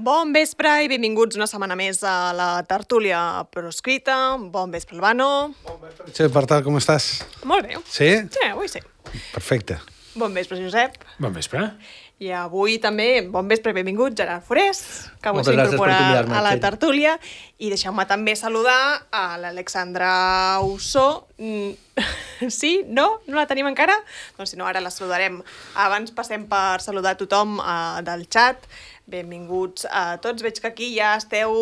Bon vespre i benvinguts una setmana més a la tertúlia proscrita. Bon vespre, Albano. Bon vespre, Che, Bartal, com estàs? Molt bé. Sí? Sí, avui sí. Perfecte. Bon vespre, Josep. Bon vespre. I avui també, bon vespre i benvingut, Gerard Forés, que avui Moltes gràcies s'incorpora per convidar-me, a la Txell. tertúlia. I deixeu-me també saludar a l'Alexandra Ussó. Sí? No? No la tenim encara? Doncs si no, ara la saludarem. Abans passem per saludar tothom del xat. Benvinguts a tots. Veig que aquí ja esteu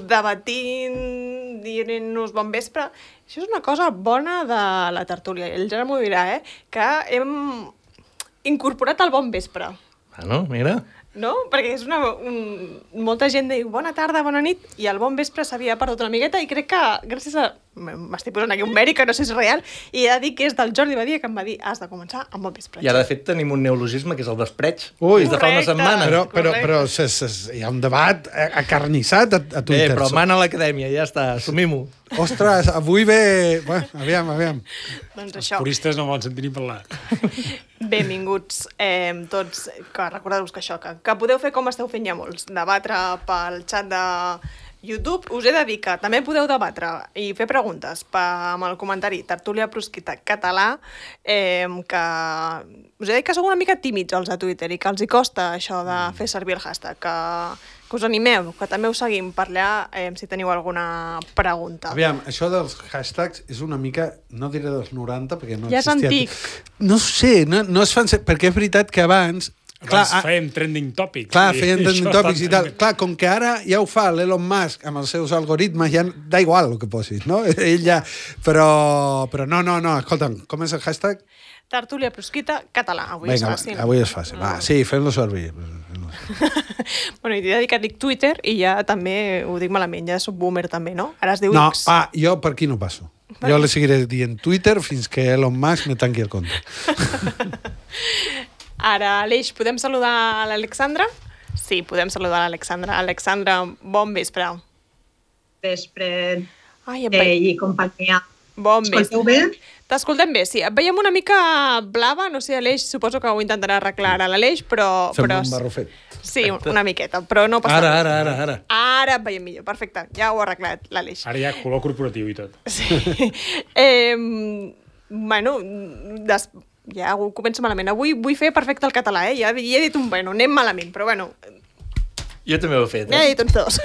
debatint, dient-nos bon vespre. Això és una cosa bona de la tertúlia. El Gerard m'ho dirà, que hem incorporat el bon vespre. Bueno, mira. No? Perquè és molta gent diu bona tarda, bona nit, i el bon vespre s'havia perdut una miqueta, i crec que gràcies a... M'estic posant aquí un mèrit que no sé si és real, i he de dir que és del Jordi Badia que em va dir has de començar amb bon vespre. I ara, de fet, tenim un neologisme que és el vespreig. Ui, des de fa una correcte. setmana. Però hi ha un debat acarnissat a Twitter. Però mana a l'acadèmia, ja està, assumim-ho. Ostres, avui ve... Bueno, aviam. Doncs Els això. puristes no volen sentir ni parlar. Benvinguts tots, que recordeu-vos que això, que podeu fer com esteu fent ja molts, debatre pel xat de YouTube. Us he de dir que també podeu debatre i fer preguntes amb el comentari Tertúlia Proscrita Català, que us he de dir que sou una mica tímids els de Twitter i que els hi costa això de fer servir el hashtag, que us animeu, que també us seguim per allà si teniu alguna pregunta. Aviam, això dels hashtags és una mica, no diré dels 90, perquè no Ja és existia. antic. No sé, no es fan... Perquè és veritat que abans... Abans fèiem trending topics. Clar, I feien això trending està topics i tal. trending. Clar, com que ara ja ho fa l'Elon Musk amb els seus algoritmes, ja da igual el que posis, no? Ell ja... Però no, escolta'm, com és el hashtag? Tertúlia Proscrita Català. Avui és fàcil. Avui és fàcil. Va, sí, fem-lo servir. Bueno, i t'he de dir que dic Twitter i ja també ho dic malament, ja soc boomer també, no? Ara es diu No, X. jo per aquí no passo. Jo le seguiré dient Twitter fins que Elon Musk me tanqui el compte. Ara, Aleix, podem saludar a l'Alexandra? Sí, podem saludar a l'Alexandra. Alexandra, bon vespre. Vespre Ai, et veiem. i companyia. Bon Escolteu vespre. bé? T'escoltem bé, sí. Et veiem una mica blava, no sé, Aleix, suposo que ho intentarà arreglar ara l'Aleix, però... Fem un barrufet. Sí, una miqueta, però no passa res. Ara. Ara et veiem millor, perfecte. Ja ho ha arreglat l'Aleix. Ara hi ha color corporatiu i tot. Sí. Bueno, ja ho començo malament. Avui vull fer perfecte el català, Ja he dit un bueno, anem malament, però bueno, Jo també ho he fet, ja he dit uns dos.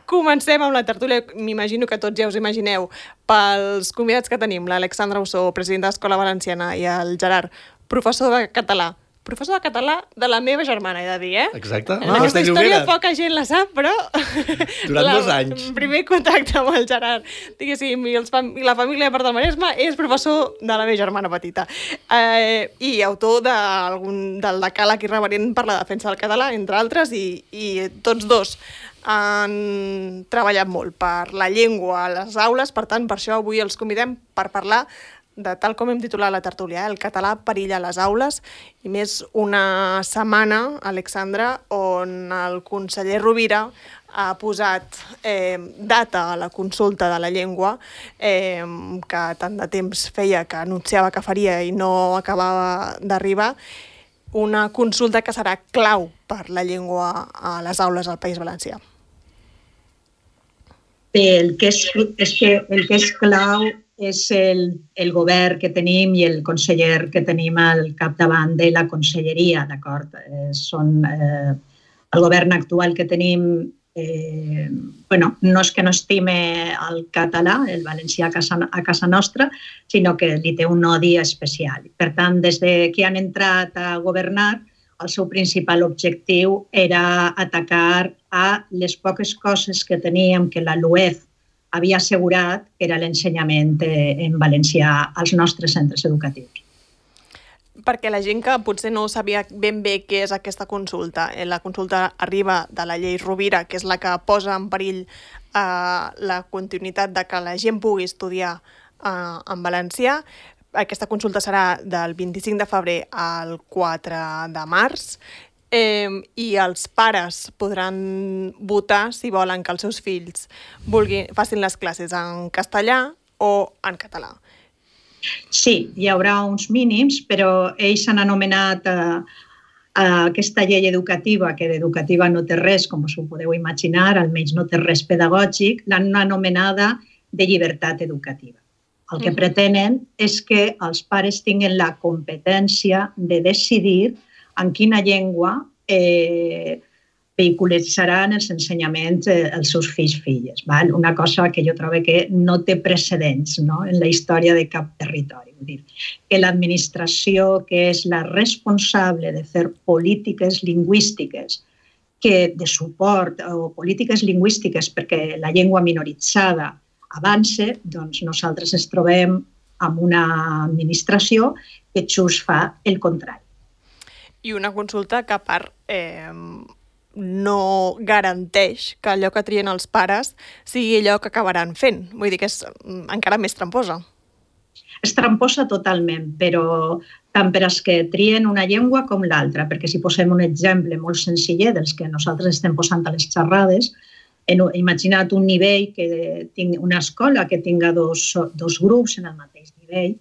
Comencem amb la tertúlia. M'imagino que tots ja us imagineu pels convidats que tenim, l'Alexandra Ussó, president de l'Escola Valenciana, i el Gerard, professor de català. Professor de català de la meva germana, he de dir, Exacte. Aquesta història poca gent la sap, però... Durant 2 anys. El primer contacte amb el Gerard, diguéssim, i la família de part del Maresme, és professor de la meva germana petita. I autor del decàleg irreverent per la defensa del català, entre altres, i tots dos han treballat molt per la llengua a les aules, per tant, per això avui els convidem per parlar de tal com hem titulat la tertúlia, el català perilla a les aules, i més una setmana, Alexandra, on el conseller Rovira ha posat data a la consulta de la llengua, que tant de temps feia que anunciava que faria i no acabava d'arribar, una consulta que serà clau per la llengua a les aules al País Valencià. Bé, el que és clau és el govern que tenim i el conseller que tenim al capdavant de la conselleria, d'acord? El govern actual que tenim, no és que no estime el català, el valencià a casa nostra, sinó que li té un odi especial. Per tant, des que han entrat a governar, el seu principal objectiu era atacar a les poques coses que teníem que la LUEF havia assegurat, que era l'ensenyament en valencià als nostres centres educatius. Perquè la gent que potser no sabia ben bé què és aquesta consulta, la consulta arriba de la llei Rovira, que és la que posa en perill la continuïtat de que la gent pugui estudiar en valencià. aquesta consulta serà del 25 de febrer al 4 de març, i els pares podran votar si volen que els seus fills facin les classes en castellà o en català. Sí, hi haurà uns mínims, però ells han anomenat aquesta llei educativa, que d'educativa no té res, com us ho podeu imaginar, almenys no té res pedagògic, l'han anomenada de llibertat educativa. El que pretenen és que els pares tinguin la competència de decidir en quina llengua vehiculitzaran els ensenyaments els seus fills. Una cosa que jo trobo que no té precedents en la història de cap territori. Vull dir, que l'administració, que és la responsable de fer polítiques lingüístiques de suport o polítiques lingüístiques perquè la llengua minoritzada avance, doncs nosaltres ens trobem amb una administració que just fa el contrari. I una consulta que a part no garanteix que allò que trien els pares sigui allò que acabaran fent. Vull dir que és encara més tramposa. És tramposa totalment, però tant per als que trien una llengua com l'altra, perquè si posem un exemple molt senzill dels que nosaltres estem posant a les xerrades, imagina't un nivell, una escola que tinga dos grups en el mateix nivell.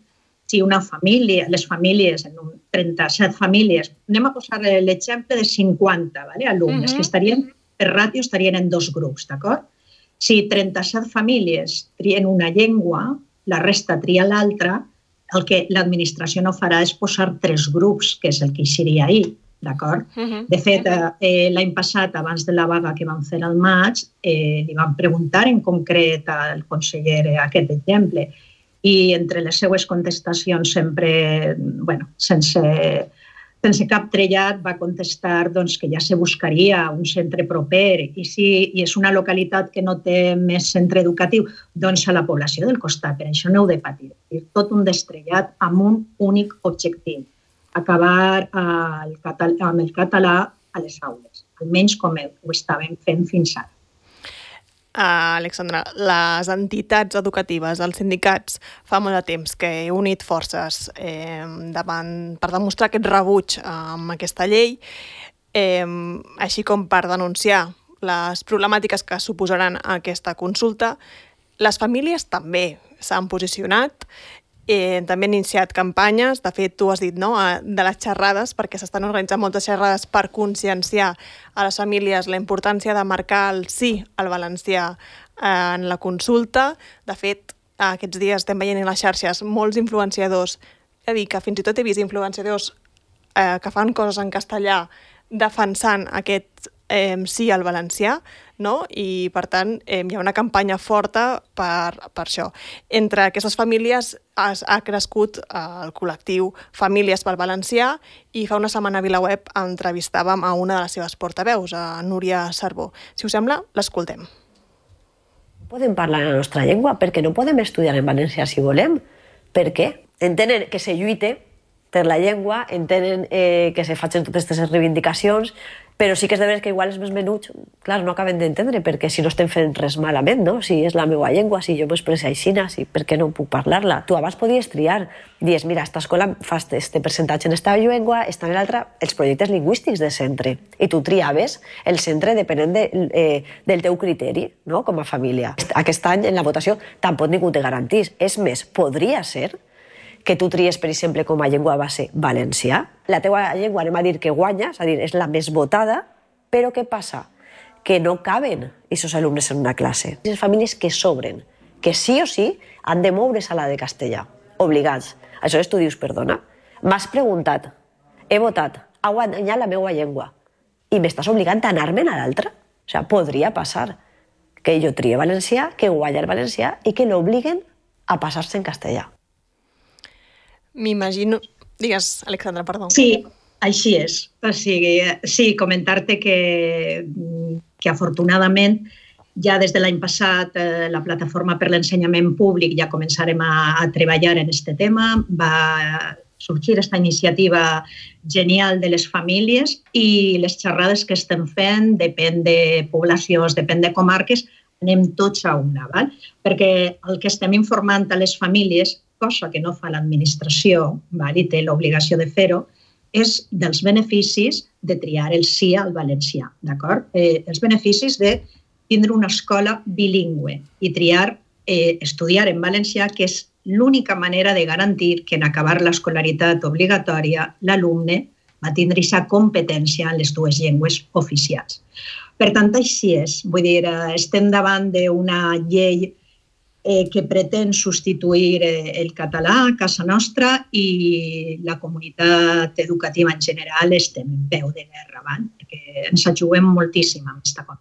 Si una família, les famílies, en 37 famílies, anem a posar l'exemple de 50 alumnes, que estarien, per ràtio, estarien en dos grups, d'acord? Si 37 famílies trien una llengua, la resta tria l'altra, el que l'administració no farà és posar 3 grups, que és el que seria ahir, d'acord? De fet, l'any passat, abans de la vaga que vam fer al maig, li vam preguntar en concret al conseller aquest exemple, i entre les seues contestacions sempre, sense cap trellat, va contestar que ja se buscaria un centre proper i si és una localitat que no té més centre educatiu, doncs a la població del costat. Per això no heu de patir. Tot un destrellat amb un únic objectiu, acabar amb el català a les aules, almenys com ho estàvem fent fins ara. Alexandra, les entitats educatives, els sindicats, fa molt de temps que he unit forces per demostrar aquest rebuig amb aquesta llei, així com per denunciar les problemàtiques que suposaran aquesta consulta. Les famílies també s'han posicionat, també han iniciat campanyes, de fet tu has dit de les xerrades, perquè s'estan organitzant moltes xerrades per conscienciar a les famílies la importància de marcar el sí al valencià en la consulta. De fet, aquests dies estem veient en les xarxes molts influenciadors, he de dir que fins i tot he vist influenciadors que fan coses en castellà defensant aquest sí al valencià, i per tant hi ha una campanya forta per això. Entre aquestes famílies ha crescut el col·lectiu Famílies pel Valencià i fa una setmana a VilaWeb entrevistàvem a una de les seves portaveus, a Núria Cervó. Si us sembla, l'escoltem. Podem parlar en la nostra llengua perquè no podem estudiar en valencià si volem. Per què? Entenen que se lluite per la llengua, entenen que se facin totes aquestes reivindicacions, però sí que és de veres que igual els més menuts, clar, no acaben d'entendre, perquè si no estem fent res malament, si és la meva llengua, si jo m'expresso aixina, per què no puc parlar-la? Tu abans podies triar, dius, mira, esta escola fa este percentatge en esta llengua, esta en l'altra, els projectes lingüístics de centre, i tu triaves el centre depenent del teu criteri, com a família. Aquest any, en la votació, tampoc ningú te garantís. És més, podria ser que tu tries, per exemple, com a llengua base valencià. La teua llengua, anem a dir que guanya, és a dir, és la més votada, però què passa? Que no caben aquests alumnes en una classe. Les famílies que sobren, que sí o sí han de moure's a la de castellà, obligats. Aleshores tu dius, perdona, m'has preguntat, he votat, ha guanyat la meva llengua i m'estàs obligant a anar-me'n a l'altra? O sigui, podria passar que jo trie valencià, que guanya el valencià i que l'obliguen a passar-se en castellà. M'imagino... Digues, Alexandra, perdó. Sí, així és. O sigui, sí, comentar-te que afortunadament ja des de l'any passat la Plataforma per l'Ensenyament Públic ja començarem a treballar en aquest tema. Va sorgir aquesta iniciativa genial de les famílies i les xerrades que estem fent depèn de poblacions, depèn de comarques, anem tots a una, perquè el que estem informant a les famílies, cosa que no fa l'administració, i té l'obligació de fer-ho, és dels beneficis de triar el sí al valencià, d'acord? Els beneficis de tindre una escola bilingüe i triar estudiar en valencià, que és l'única manera de garantir que en acabar l'escolaritat obligatòria l'alumne va tindre aquesta competència en les dues llengües oficials. Per tant, així és. Vull dir, estem davant d'una llei que pretén substituir el català a casa nostra i la comunitat educativa en general estem en peu de guerra, perquè ens juguem moltíssim amb aquesta cosa.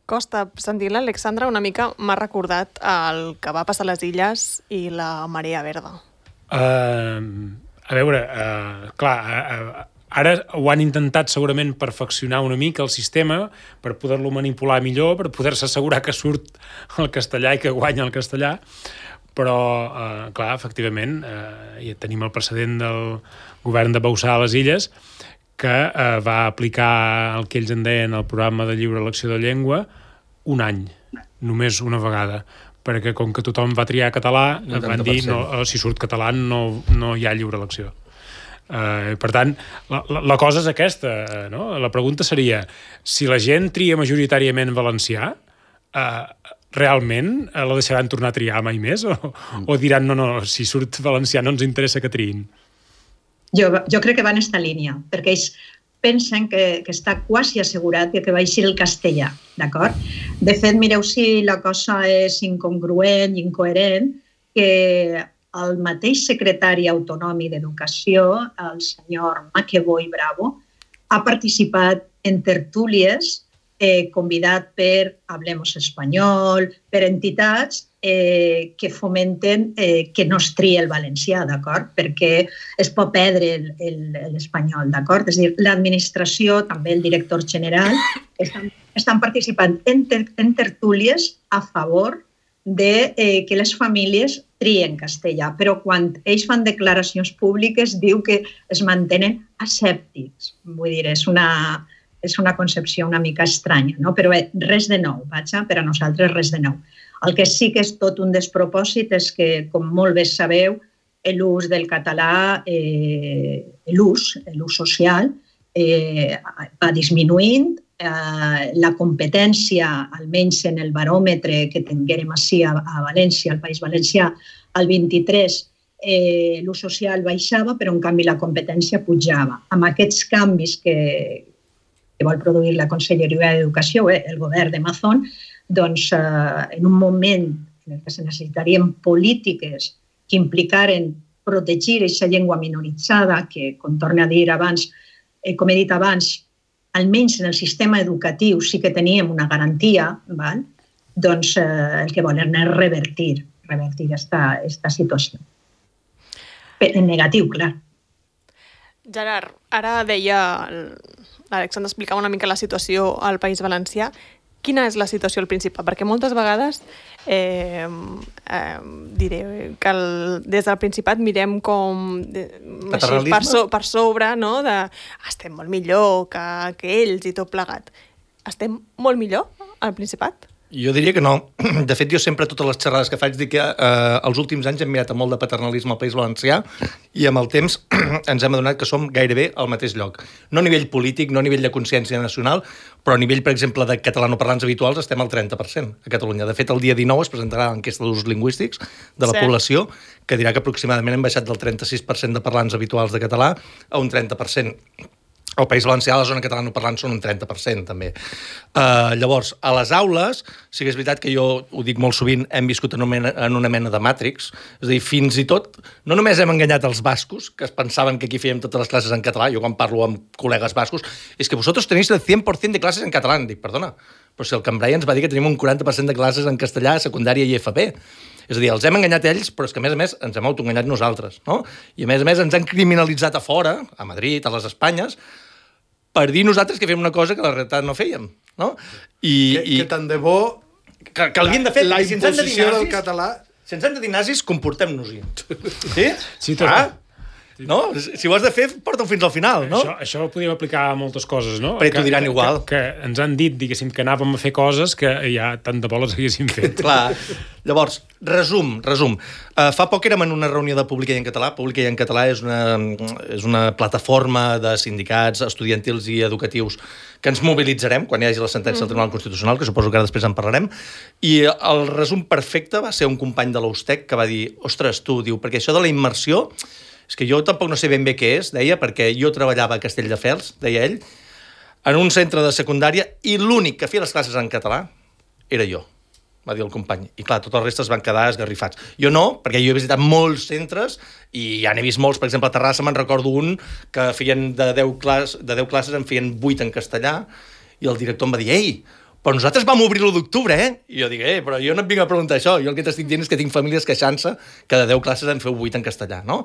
Costa, sentint l'Alexandra una mica m'ha recordat el que va passar a les Illes i la marea verda. A veure, clar, ara ho han intentat segurament perfeccionar una mica el sistema per poder-lo manipular millor, per poder-se assegurar que surt el castellà i que guanya el castellà, però, clar, efectivament, ja tenim el precedent del govern de Bauzá a les Illes, que va aplicar el que ells en deien el programa de lliure elecció de llengua un any, només una vegada, perquè com que tothom va triar català, van dir si surt català no hi ha lliure elecció. Per tant, la cosa és aquesta, no? La pregunta seria, si la gent tria majoritàriament valencià, realment la deixaran tornar a triar mai més? O diran, no, si surt valencià no ens interessa que triïn? Jo crec que va en aquesta línia, perquè ells pensen que està quasi assegurat que va eixir el castellà, d'acord? De fet, mireu si la cosa és incongruent i incoherent, que el mateix secretari autonòmic d'Educació, el senyor Maqueboy Bravo, ha participat en tertúlies convidat per Hablemos Espanyol, per entitats que fomenten que no es tria el valencià, d'acord? Perquè es pot perdre l'espanyol, d'acord? És a dir, l'administració, també el director general, estan participant en tertúlies a favor de que les famílies trien castellà, però quan ells fan declaracions públiques diu que es mantenen asèptics. Vull dir, és una concepció una mica estranya, no? Però res de nou, per a nosaltres res de nou. El que sí que és tot un despropòsit és que, com molt bé sabeu, l'ús del català, l'ús social, va disminuint. La competència, almenys en el baròmetre que tinguérem així a València, al País Valencià, al 23, l'ús social baixava, però en canvi la competència pujava. Amb aquests canvis que vol produir la Conselleria d'Educació, el govern de Mazón, doncs en un moment en què se necessitarien polítiques que implicaren protegir aquesta llengua minoritzada, que, com torno a dir abans, com he dit abans, almenys en el sistema educatiu sí que teníem una garantia, doncs el que volen és revertir aquesta situació. En negatiu, clar. Gerard, ara deia, l'Alexandre explicava una mica la situació al País Valencià. Quina és la situació al Principat? Perquè moltes vegades diré que des del Principat mirem com per sobre, no? Estem molt millor que ells i tot plegat. Estem molt millor al Principat? Jo diria que no. De fet, jo sempre, totes les xerrades que faig, dic que els últims anys hem mirat amb molt de paternalisme al País Valencià i amb el temps ens hem adonat que som gairebé al mateix lloc. No a nivell polític, no a nivell de consciència nacional, però a nivell, per exemple, de catalanoparlants habituals estem al 30% a Catalunya. De fet, el dia 19 es presentarà l'enquesta d'ús lingüístics de la població, que dirà que aproximadament hem baixat del 36% de parlants habituals de català a un 30%. Al País Valencià, la zona catalanoparlant són un 30%, també. Llavors, a les aules, sí que és veritat que jo ho dic molt sovint, hem viscut en una mena de Matrix, és a dir, fins i tot, no només hem enganyat els bascos, que es pensaven que aquí fèiem totes les classes en català, jo quan parlo amb col·legues bascos, és que vosaltres tenéis el 100% de classes en català. Dic, perdona, però si el Cambrai ens va dir que tenim un 40% de classes en castellà a secundària i FP. És a dir, els hem enganyat ells, però és que, a més, ens hem autoenganyat nosaltres, no? I, a més, ens han criminalitzat a fora, a Madrid, a les Espanyes, per dir nosaltres que fem una cosa que la realitat no fèiem, no? Que tant de bo... Que l'havien de fer. La imposició del català... Si ens han de dir nazis, comportem-nos-hi. Sí? Sí, tot. no? Si ho has de fer, porta-ho fins al final, no? Això ho podíem aplicar a moltes coses, no? Però t'ho diran igual. Que ens han dit, diguéssim, que anàvem a fer coses que ja tant de bo les haguéssim fet. Clar. Llavors, resum. Fa poc érem en una reunió de Pública i en Català. Pública i en Català és una plataforma de sindicats estudiantils i educatius que ens mobilitzarem quan hi hagi la sentència del Tribunal Constitucional, que suposo que ara després en parlarem. I el resum perfecte va ser un company de l'Ustec que va dir, ostres, tu, diu, perquè això de la immersió, és que jo tampoc no sé ben bé què és, deia, perquè jo treballava a Castelldefels, deia ell, en un centre de secundària, i l'únic que feia les classes en català era jo, va dir el company. I clar, tots els restes van quedar esgarrifats. Jo no, perquè jo he visitat molts centres i ja n'he vist molts. Per exemple, a Terrassa me'n recordo un que feien de 10 classes en feien 8 en castellà i el director em va dir, ei, però nosaltres vam obrir l'1 d'octubre, eh? I jo dic, però jo no et vinc a preguntar això. Jo el que t'estic dient és que tinc famílies queixant-se que de 10 classes en feu 8 en castellà, no?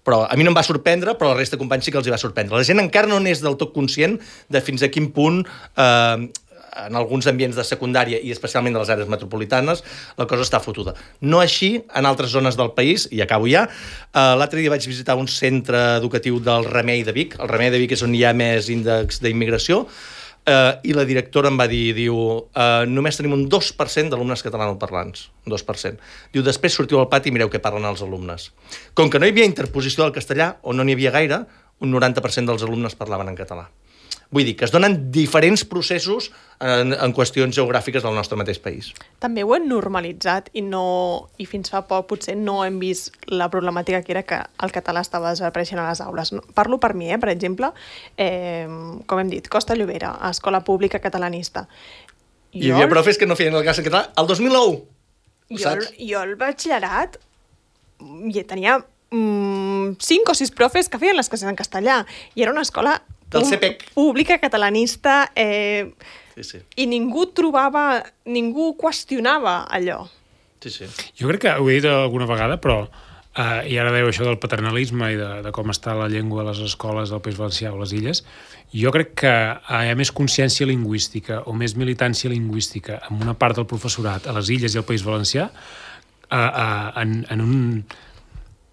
Però a mi no em va sorprendre, però la resta de companys sí que els hi va sorprendre. La gent encara no n'és del tot conscient de fins a quin punt en alguns ambients de secundària i especialment de les àrees metropolitanes, la cosa està fotuda. No així en altres zones del país, i acabo ja. L'altre dia vaig visitar un centre educatiu del Remei de Vic. El Remei de Vic és on hi ha més índex d'immigració, i la directora em va dir, diu, només tenim un 2% d'alumnes catalanoparlants, un 2%. Diu, després sortiu al pati i mireu què parlen els alumnes. Com que no hi havia interposició del castellà, o no n'hi havia gaire, un 90% dels alumnes parlaven en català. Vull dir, que es donen diferents processos en qüestions geogràfiques del nostre mateix país. També ho hem normalitzat i fins fa poc potser no hem vist la problemàtica que era que el català estava desapareixent a les aules. Parlo per mi, per exemple, com hem dit, Costa Llobera, escola pública catalanista. Hi havia profes que no feien el cas en català el 2009, saps? Jo al batxillerat tenia 5 o 6 profes que feien les classes en castellà i era una escola pública catalanista sí. I ningú qüestionava allò. Sí. Jo crec que ho he dit alguna vegada, però i ara dèieu això del paternalisme i de com està la llengua a les escoles del País Valencià o les Illes, jo crec que hi ha més consciència lingüística o més militància lingüística en una part del professorat a les Illes i al País Valencià en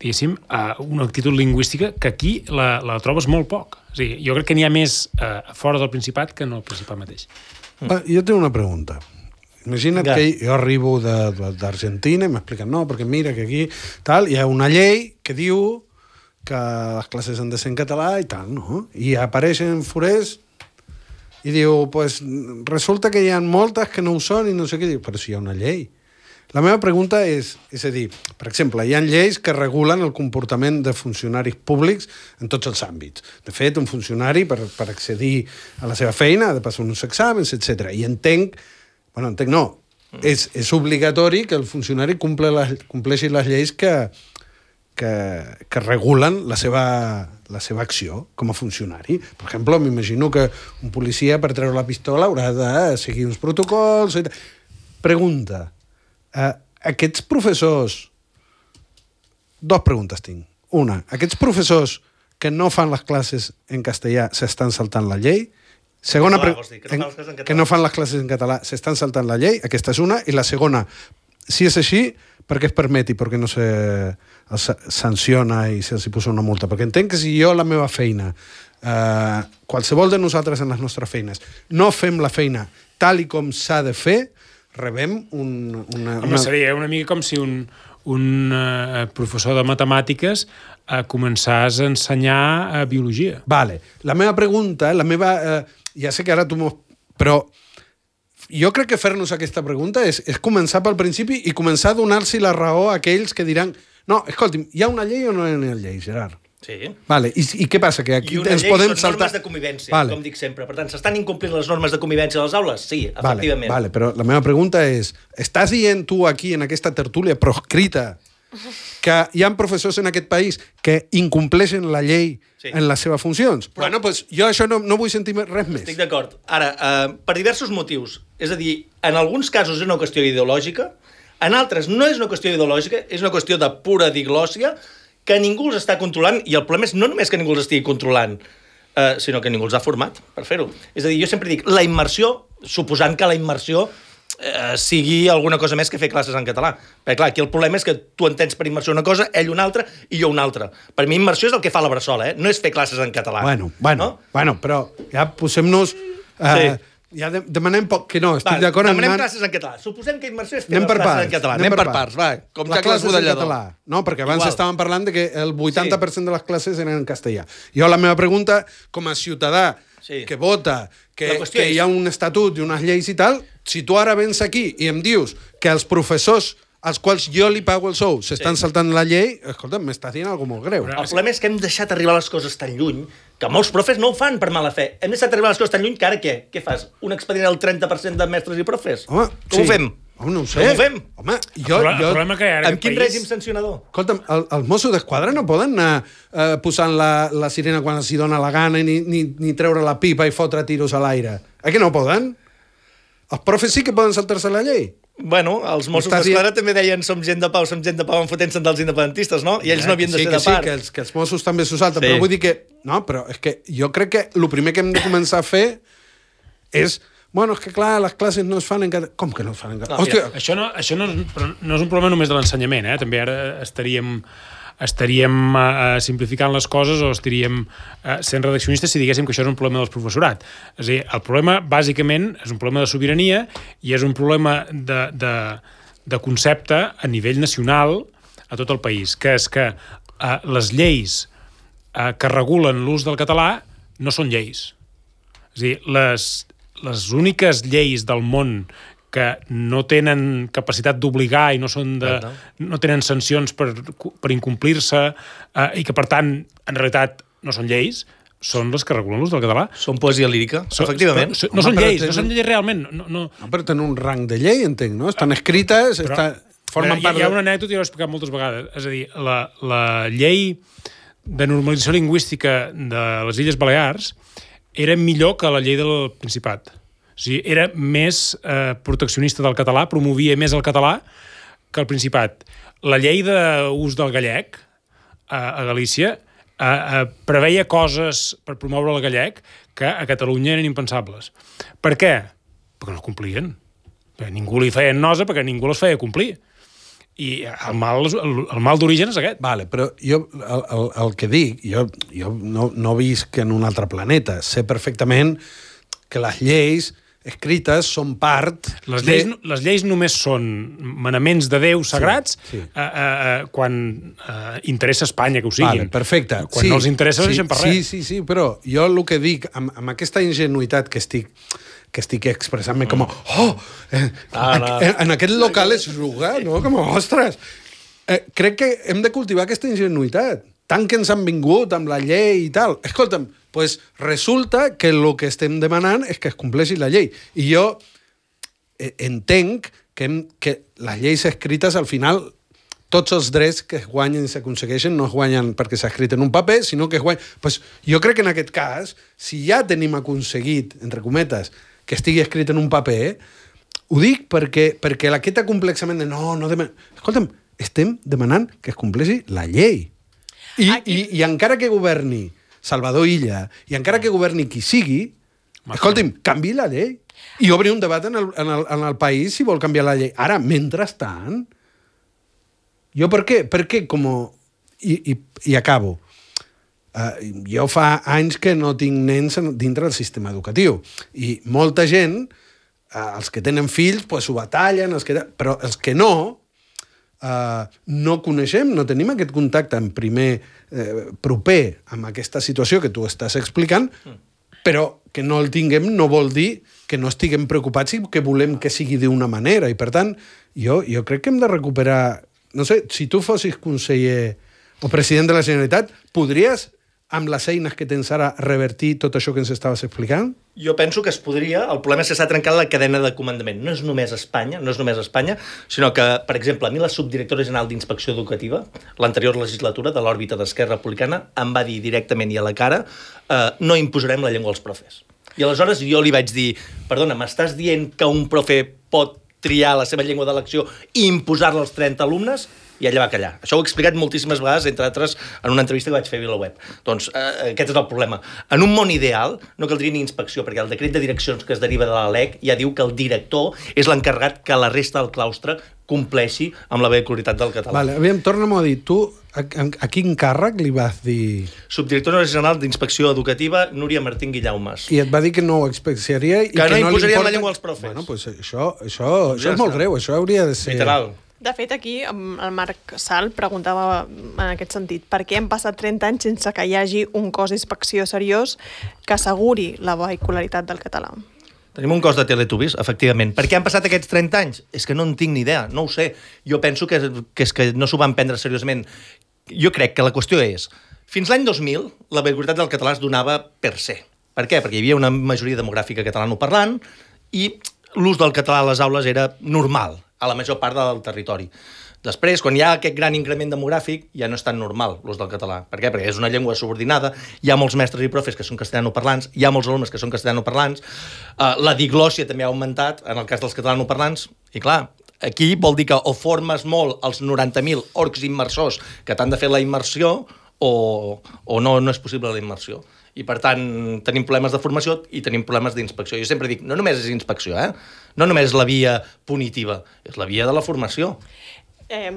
diguéssim, una actitud lingüística que aquí la trobes molt poc. O sigui, jo crec que n'hi ha més fora del Principat que no al Principat mateix. Jo tinc una pregunta. Imagina't que jo arribo d'Argentina i m'expliquen, no, perquè mira que aquí tal, hi ha una llei que diu que les classes han de ser en català i tal, no? I apareixen forers i diu, pues, resulta que hi ha moltes que no ho són i no sé què. Diu, però si hi ha una llei. La meva pregunta és a dir, per exemple, hi ha lleis que regulen el comportament de funcionaris públics en tots els àmbits. De fet, un funcionari, per accedir a la seva feina, ha de passar uns exàmens, etc. I entenc no, és obligatori que el funcionari compleixi les lleis que regulen la seva acció com a funcionari. Per exemple, m'imagino que un policia, per treure la pistola, haurà de seguir uns protocols... Pregunta. Aquests professors... 2 preguntes tinc. Una, aquests professors que no fan les classes en castellà s'estan saltant la llei? Segona, que no fan les classes en català s'estan saltant la llei? Aquesta és una. I la segona, si és així, per què es permet i per què no se sanciona i se'ls posa una multa? Perquè entenc que si jo la meva feina, qualsevol de nosaltres en les nostres feines, no fem la feina tal i com s'ha de fer, rebem Home, seria una mica com si un professor de matemàtiques començàs a ensenyar biologia. Vale. La meva pregunta, ja sé que ara tu però jo crec que fer-nos aquesta pregunta és començar pel principi i començar a donar-se la raó a aquells que diran no, escolti'm, hi ha una llei o no hi ha llei, Gerard? Sí. Vale. I què passa? Que aquí ens podem saltar... I una llei són normes de convivència, com dic sempre. Per tant, s'estan incomplint les normes de convivència a les aules? Sí, efectivament. Vale, però la meva pregunta és, estàs dient tu aquí, en aquesta tertúlia proscrita, que hi ha professors en aquest país que incompleixen la llei en les seves funcions? Bueno, doncs jo això no vull sentir res més. Estic d'acord. Ara, per diversos motius. És a dir, en alguns casos és una qüestió ideològica, en altres no és una qüestió ideològica, és una qüestió de pura diglòssia, que ningú els està controlant, i el problema és no només que ningú els estigui controlant, sinó que ningú els ha format per fer-ho. És a dir, jo sempre dic, la immersió, suposant que la immersió sigui alguna cosa més que fer classes en català. Perquè, clar, aquí el problema és que tu entens per immersió una cosa, ell una altra i jo una altra. Per mi, immersió és el que fa la Bressola, no és fer classes en català. Bueno, però ja posem-nos... Ja demanem poc, que no, estic d'acord en... Demanem classes en català. Suposem que immersió és fer classes en català. Anem per parts, va. Com ja classes en català. No, perquè abans estàvem parlant de que el 80% de les classes eren en castellà. Jo, la meva pregunta, com a ciutadà que vota, que hi ha un estatut i unes lleis i tal, si tu ara vens aquí i em dius que els professors als quals jo li pago el sou s'estan saltant la llei, escolta, m'estàs dient alguna cosa molt greu. El problema és que hem deixat arribar les coses tan lluny que molts profes no ho fan per mala fe. Hem deixat arribar les coses tan lluny que ara què? Què fas? Un expedient al 30% de mestres i profes? Home, com ho fem? No ho sé. Com ho fem? Home, el problema que hi ha ara amb quin règim sancionador? Escolta'm, els Mossos d'Esquadra no poden anar posant la sirena quan els hi dona la gana ni treure la pipa i fotre tiros a l'aire. Que no poden? Els profes sí que poden saltar-se la llei. Bueno, els Mossos d'Esquadra també deien som gent de pau enfotent-se dels independentistes, no? I ells no havien de ser de part. Sí, que els Mossos també s'ho salten, però vull dir que... No, però és que jo crec que el primer que hem de començar a fer és... Bueno, és que clar, les classes no es fan en català. Com que no es fan en català? Hòstia, això no és un problema només de l'ensenyament, També ara estaríem simplificant les coses o estaríem sent redaccionistes si diguéssim que això és un problema del professorat. És a dir, el problema, bàsicament, és un problema de sobirania i és un problema de concepte a nivell nacional a tot el país, que és que les lleis que regulen l'ús del català no són lleis. És a dir, les úniques lleis del món que no tenen capacitat d'obligar i no tenen sancions per incomplir-se i que, per tant, en realitat no són lleis, són les que regulen l'ús del català. Són poesia lírica, efectivament. No són lleis realment. No, però tenen un rang de llei, entenc, no? Estan escrites, formen part... Hi ha una anècdota, jo l'he explicat moltes vegades. És a dir, la llei de normalització lingüística de les Illes Balears era millor que la llei del Principat. O sigui, era més proteccionista del català, promovia més el català que el Principat. La llei d'ús del gallec a Galícia preveia coses per promoure el gallec que a Catalunya eren impensables. Per què? Perquè no es complien. Perquè ningú li feia nosa, perquè ningú les feia complir. I el mal d'origen és aquest. Vale, però jo el que dic, jo no visc en un altre planeta. Sé perfectament que les lleis escrites són part... Les lleis només són manaments de Déu sagrats quan interessa Espanya que ho siguin. Vale, perfecte. Quan no els interessa, deixen per res. Sí, però jo el que dic, amb aquesta ingenuïtat que estic expressant-me com en aquest local és juga, no? Com ostres! Crec que hem de cultivar aquesta ingenuïtat. Tant que ens han vingut amb la llei i tal. Escolta'm, pues resulta que el que estem demanant és que es compleixi la llei. I jo entenc que les lleis escrites, al final, tots els drets que es guanyen i s'aconsegueixen no es guanyen perquè s'ha escrit en un paper, sinó que es guanyen... Pues jo crec que en aquest cas, si ja tenim aconseguit, entre cometes, que estigui escrit en un paper, ho dic perquè aquest acomplexament de no demanem... Escolta'm, estem demanant que es compleixi la llei. I encara que governi Salvador Illa, i encara que governi qui sigui, escolti'm, canvi la llei. I obri un debat en el país si vol canviar la llei. Ara, mentrestant, jo per què com... I acabo. Jo fa anys que no tinc nens dintre del sistema educatiu. I molta gent, els que tenen fills, pues, ho batallen, però els que no coneixem, no tenim aquest contacte en primer proper amb aquesta situació que tu estàs explicant, però que no el tinguem no vol dir que no estiguem preocupats i que volem que sigui d'una manera. I, per tant, jo crec que hem de recuperar... No sé, si tu fossis conseller o president de la Generalitat, podries, amb les eines que tens ara, revertir tot això que ens estaves explicant? Jo penso que es podria. El problema és que s'ha trencat la cadena de comandament. No és només Espanya, sinó que, per exemple, a mi la subdirectora general d'Inspecció Educativa, l'anterior legislatura de l'òrbita d'Esquerra Republicana, em va dir directament i a la cara no imposarem la llengua als profes. I aleshores jo li vaig dir, perdona, m'estàs dient que un profe pot triar la seva llengua d'elecció i imposar-la als 30 alumnes? i ella va callar. Això ho he explicat moltíssimes vegades, entre altres, en una entrevista que vaig fer a VilaWeb. Doncs aquest és el problema. En un món ideal no caldria ni inspecció, perquè el decret de direccions que es deriva de la LEC ja diu que el director és l'encarregat que la resta del claustre compleixi amb la vehicularitat del català. Vale, aviam, torna'm a dir, tu a quin càrrec li vas dir? Subdirectora general d'Inspecció Educativa, Núria Martín Guillaumes. I et va dir que no ho inspecciaria i que no imposarien li la llengua als profes. Bueno, pues això és molt greu, això hauria de ser... Literal. De fet, aquí el Marc Sal preguntava en aquest sentit per què han passat 30 anys sense que hi hagi un cos d'inspecció seriós que asseguri la vehicularitat del català. Tenim un cos de Teletubbies, efectivament. Per què han passat aquests 30 anys? És que no en tinc ni idea, no ho sé. Jo penso que és que no s'ho van prendre seriosament. Jo crec que la qüestió és, fins l'any 2000, la vehicularitat del català es donava per se. Per què? Perquè hi havia una majoria demogràfica catalanoparlant i l'ús del català a les aules era normal a la major part del territori. Després, quan hi ha aquest gran increment demogràfic, ja no és tan normal l'ús del català. Per què? Perquè és una llengua subordinada, hi ha molts mestres i profes que són castellanoparlants, hi ha molts alumnes que són castellanoparlants, la diglòssia també ha augmentat en el cas dels catalanoparlants, i clar, aquí vol dir que o formes molt els 90.000 orcs immersors que t'han de fer la immersió o no és possible la immersió. I, per tant, tenim problemes de formació i tenim problemes d'inspecció. Jo sempre dic, no només és inspecció, no només és la via punitiva, és la via de la formació.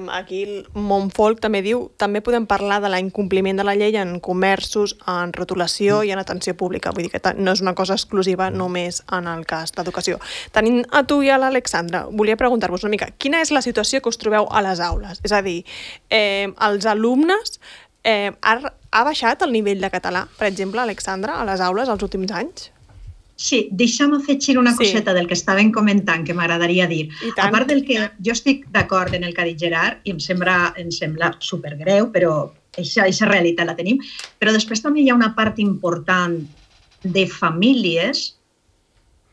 Aquí el Montfolc també diu també podem parlar de l'incompliment de la llei en comerços, en rotulació i en atenció pública. Vull dir que no és una cosa exclusiva només en el cas d'educació. Tenint a tu i a l'Alexandra, volia preguntar-vos una mica, quina és la situació que us trobeu a les aules? És a dir, els alumnes ha baixat el nivell de català, per exemple, Alexandra, a les aules els últims anys? Sí, deixa'm afegir una coseta del que estàvem comentant que m'agradaria dir. A part del que jo estic d'acord en el que ha dit Gerard i em sembla supergreu, però aquesta realitat la tenim, però després també hi ha una part important de famílies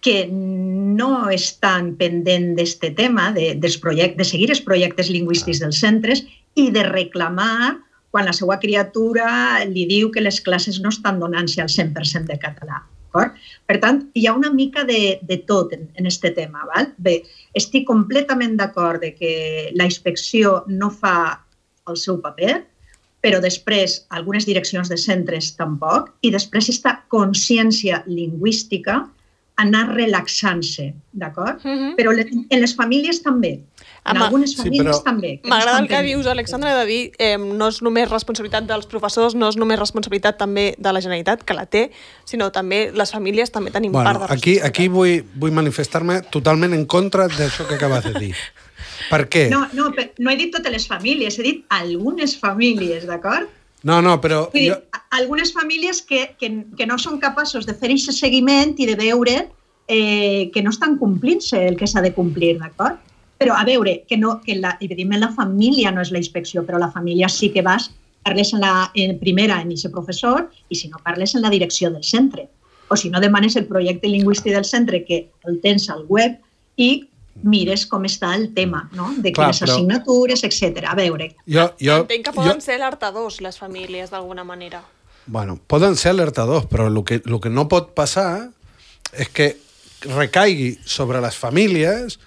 que no estan pendent d'aquest tema, de seguir els projectes lingüístics dels centres i de reclamar quan la seva criatura li diu que les classes no estan donant-se al 100% de català. Per tant, hi ha una mica de tot en aquest tema. Bé, estic completament d'acord que la inspecció no fa el seu paper, però després algunes direccions de centres tampoc, i després aquesta consciència lingüística anar relaxant-se, d'acord? Però en les famílies també. En algunes famílies també. M'agrada el que dius, Alexandra, de dir no és només responsabilitat dels professors, no és només responsabilitat també de la Generalitat, que la té, sinó també les famílies també tenim part de responsabilitat. Aquí vull manifestar-me totalment en contra d'això que acabes de dir. Per què? No he dit totes les famílies, he dit algunes famílies, d'acord? No, però... Vull dir, algunes famílies que no són capaços de fer aquest seguiment i de veure que no estan complint-se el que s'ha de complir, d'acord? Però, a veure, evidentment la família no és la inspecció, però la família sí que vas, parles primera en aquest professor i si no parles en la direcció del centre. O si no demanes el projecte lingüístic del centre que el tens al web i mires com està el tema, no? De quines assignatures, etc. A veure... Entenc que poden ser alertadors les famílies d'alguna manera. Bueno, poden ser alertadors, però el que no pot passar és que recaigui sobre les famílies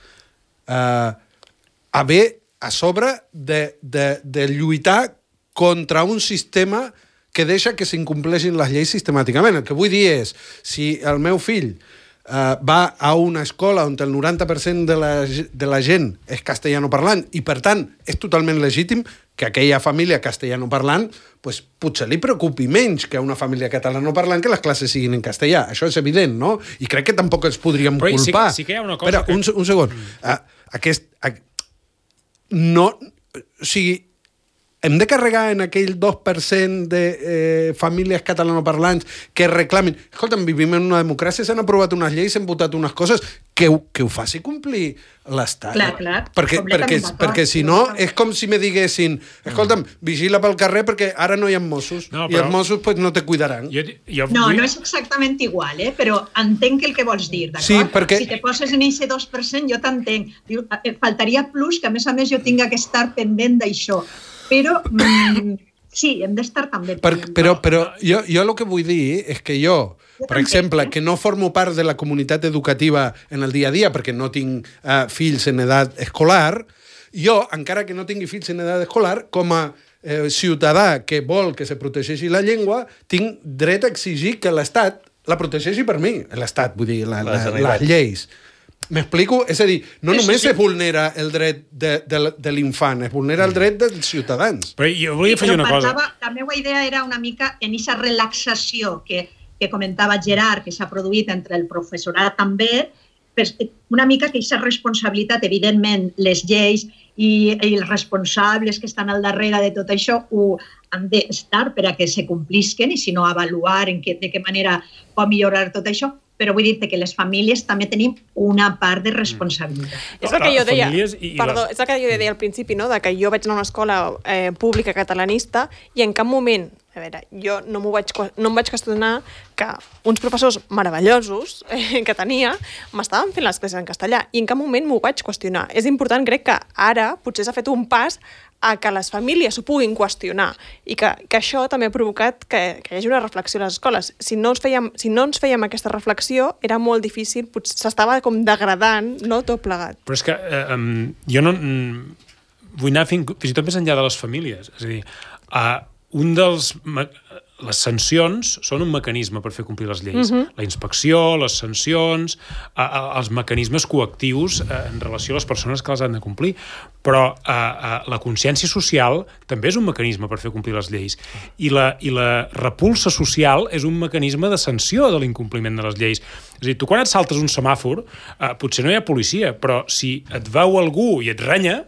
haver a sobre de lluitar contra un sistema que deixa que s'incompleixin les lleis sistemàticament. El que vull dir és, si el meu fill va a una escola on el 90% de la gent és castellanoparlant i, per tant, és totalment legítim que aquella família castellanoparlant pues, potser li preocupi menys que una família catalanoparlant que les classes siguin en castellà. Això és evident, no? I crec que tampoc ens podríem culpar. Sí que hi ha una cosa Espera, un segon. O sigui, hem de carregar en aquell 2% de famílies catalanoparlants que reclamin... Escolta'm, vivim en una democràcia, s'han aprovat unes lleis, s'han votat unes coses, que ho faci complir l'Estat. Clar. Perquè si no, és com si me diguessin escolta'm, vigila pel carrer perquè ara no hi ha Mossos, i els Mossos pues, no te cuidaran. No és exactament igual, però entenc el que vols dir, d'acord? Sí, perquè... Si te poses en aquest 2%, jo t'entenc. Faltaria plus que, a més, jo tinga que estar pendent d'això. Però sí, hem d'estar també... Però jo el que vull dir és que jo, per exemple, que no formo part de la comunitat educativa en el dia a dia perquè no tinc fills en edat escolar, Jo, encara que no tingui fills en edat escolar, com a ciutadà que vol que se protegeixi la llengua, tinc dret a exigir que l'Estat la protegeixi per mi. L'Estat, vull dir, les lleis. M'explico? És a dir, no només se vulnera el dret de l'infant, es vulnera el dret dels ciutadans. Però jo volia afegir una cosa. La meva idea era una mica en aquesta relaxació que comentava Gerard, que s'ha produït entre el professorat també, una mica que aquesta responsabilitat, evidentment, les lleis i els responsables que estan al darrere de tot això han d'estar per a que se complisquen i si no avaluar de què manera pot millorar tot això, però vull dir que les famílies també tenim una part de responsabilitat. És el que jo deia, és el que jo deia al principi, no? De que jo vaig anar a una escola pública catalanista i en cap moment, a veure, jo no em vaig qüestionar que uns professors meravellosos que tenia m'estaven fent les classes en castellà i en cap moment m'ho vaig qüestionar. És important, crec que ara potser s'ha fet un pas a que les famílies s'ho puguin qüestionar i que això també ha provocat que hi hagi una reflexió a les escoles. Si no ens fèiem aquesta reflexió, era molt difícil, potser s'estava com degradant, no, tot plegat. Però és que jo no vull anar fins i tot més enllà de les famílies. És a dir, les sancions són un mecanisme per fer complir les lleis. La inspecció, les sancions, els mecanismes coactius en relació a les persones que les han de complir. Però la consciència social també és un mecanisme per fer complir les lleis. I la repulsa social és un mecanisme de sanció de l'incompliment de les lleis. És a dir, tu quan et saltes un semàfor, potser no hi ha policia, però si et veu algú i et renya,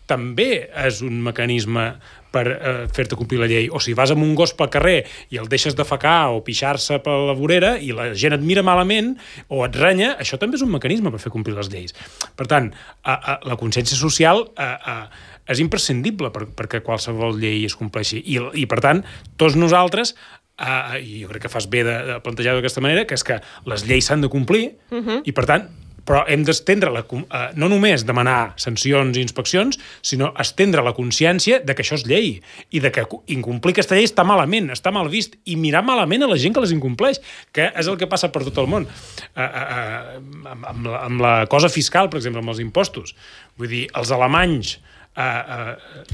també és un mecanisme per fer-te complir la llei. O si vas amb un gos pel carrer i el deixes defecar o pixar-se per la vorera i la gent et mira malament o et renya, això també és un mecanisme per fer complir les lleis. Per tant, la consciència social és imprescindible perquè qualsevol llei es compleixi. I per tant, tots nosaltres, i jo crec que fas bé de plantejar-ho d'aquesta manera, que és que les lleis s'han de complir i per tant però hem d'estendre, no només demanar sancions i inspeccions, sinó estendre la consciència de que això és llei i de que incomplir aquesta llei està malament, està mal vist, i mirar malament a la gent que les incompleix, que és el que passa per tot el món. Amb la cosa fiscal, per exemple, amb els impostos. Vull dir, els alemanys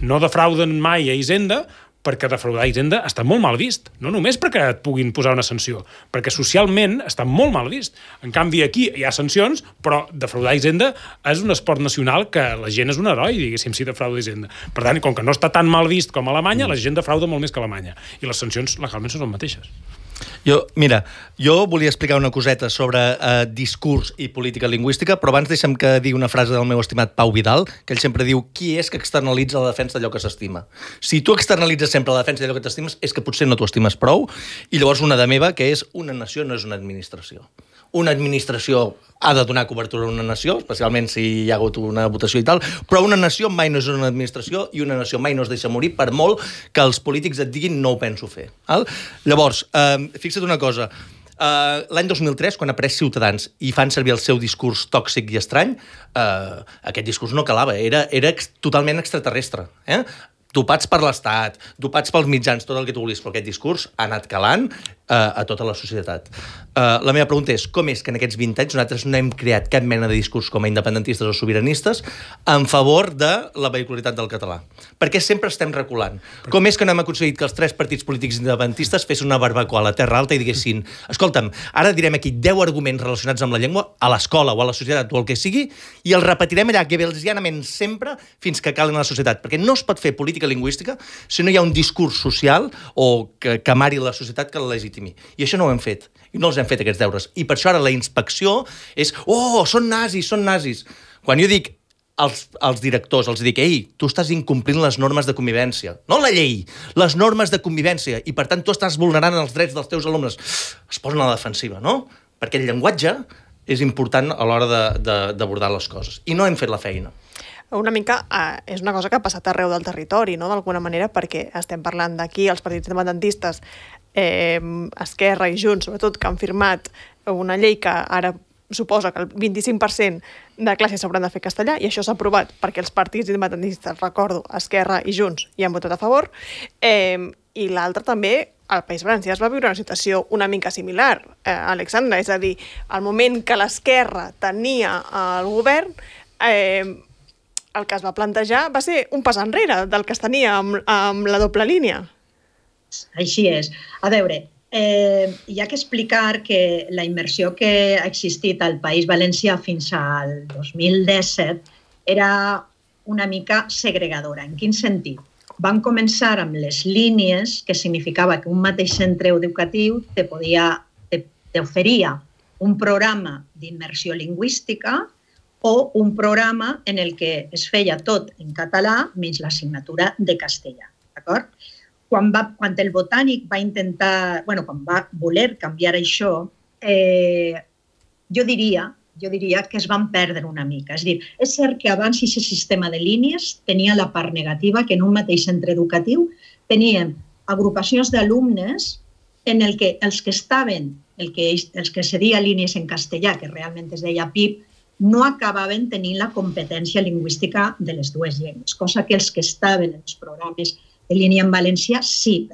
no defrauden mai a Hisenda, perquè defraudar Hisenda està molt mal vist. No només perquè et puguin posar una sanció, perquè socialment està molt mal vist. En canvi, aquí hi ha sancions, però defraudar Hisenda és un esport nacional que la gent és un heroi, diguéssim, si defrauda Hisenda. Per tant, com que no està tan mal vist com a Alemanya, la gent defrauda molt més que a Alemanya. I les sancions legalment són les mateixes. Jo volia explicar una coseta sobre discurs i política lingüística, però abans deixa'm que digui una frase del meu estimat Pau Vidal, que ell sempre diu: qui és que externalitza la defensa d'allò que s'estima? Si tu externalitzes sempre la defensa d'allò que t'estimes, és que potser no t'ho estimes prou, i llavors una de meva, que és: una nació no és una administració. Una administració ha de donar cobertura a una nació, especialment si hi ha hagut una votació i tal, però una nació mai no és una administració i una nació mai no es deixa morir, per molt que els polítics et diguin no ho penso fer. Llavors, fixa't una cosa, l'any 2003, quan ha pres Ciutadans i fan servir el seu discurs tòxic i estrany, aquest discurs no calava, era totalment extraterrestre. Dopats per l'Estat, dopats pels mitjans, tot el que tu vulguis, però aquest discurs ha anat calant a tota la societat. La meva pregunta és: com és que en aquests 20 anys nosaltres no hem creat cap mena de discurs com a independentistes o sobiranistes en favor de la vehicularitat del català? Perquè sempre estem reculant. Com és que no hem aconseguit que els 3 partits polítics independentistes fessin una barbacoa a la Terra Alta i diguessin: escolta'm, ara direm aquí 10 arguments relacionats amb la llengua a l'escola o a la societat o el que sigui, i els repetirem allà gebelsianament sempre fins que calen a la societat? Perquè no es pot fer política lingüística si no hi ha un discurs social o que amari la societat que la legitimi. I això no ho hem fet. I no els hem fet, aquests deures. I per això ara la inspecció és: oh, són nazis, són nazis. Quan jo dic als directors, els dic: ei, tu estàs incomplint les normes de convivència. No la llei, les normes de convivència. I per tant tu estàs vulnerant els drets dels teus alumnes. Es posen a la defensiva, no? Perquè el llenguatge és important a l'hora d'abordar les coses. I no hem fet la feina. Una mica és una cosa que ha passat arreu del territori, no? D'alguna manera, perquè estem parlant d'aquí, els partits independentistes, Esquerra i Junts, sobretot, que han firmat una llei que ara suposa que el 25% de classes s'hauran de fer castellà, i això s'ha aprovat perquè els partits independentistes, recordo, Esquerra i Junts, hi han votat a favor, i l'altre també, al País Valencià es va viure una situació una mica similar, Alexandra, és a dir, al moment que l'Esquerra tenia el govern, el que es va plantejar va ser un pas enrere del que es tenia amb la doble línia. Així és. A veure, hi ha que explicar que la immersió que ha existit al País Valencià fins al 2017 era una mica segregadora. En quin sentit? Van començar amb les línies, que significava que un mateix centre educatiu t'oferia un programa d'immersió lingüística o un programa en el que es feia tot en català menys l'assignatura de castellà. D'acord? Quan el Botànic va intentar, quan va voler canviar això, jo diria que es van perdre una mica. És a dir, és cert que abans aquest sistema de línies tenia la part negativa que en un mateix centre educatiu teníem agrupacions d'alumnes en el que els que estaven, els que seria línies en castellà, que realment es deia PIP, no acabaven tenint la competència lingüística de les dues llengües, cosa que els que estaven en els programes de línia en valencià sí,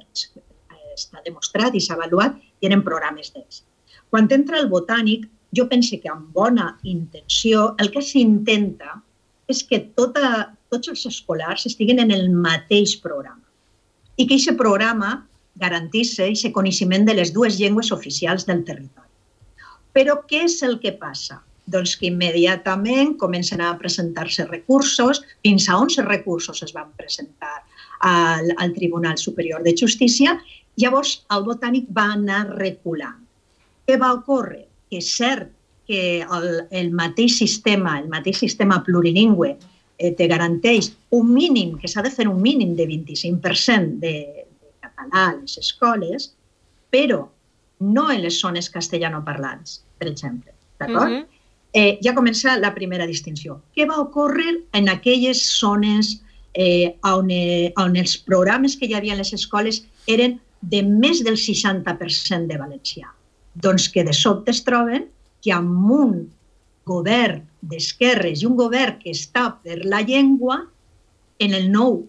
està demostrat i s'ha avaluat i eren programes d'ells. Quan entra el Botànic, jo penso que amb bona intenció el que s'intenta és que tots els escolars estiguin en el mateix programa i que aquest programa garantís aquest coneixement de les dues llengües oficials del territori. Però què és el que passa? Doncs que immediatament comencen a presentar-se recursos, fins a 11 recursos es van presentar al Tribunal Superior de Justícia, llavors el Botànic va anar reculant. Què va ocórrer? Que és cert que el mateix sistema plurilingüe te garanteix un mínim, que s'ha de fer un mínim de 25% de català a les escoles, però no en les zones castellanoparlants, per exemple. D'acord? Ja comença la primera distinció. Què va ocórrer en aquelles zones on els programes que hi havia a les escoles eren de més del 60% de valencià? Doncs que de sobte es troben que amb un govern d'esquerres i un govern que està per la llengua, en el nou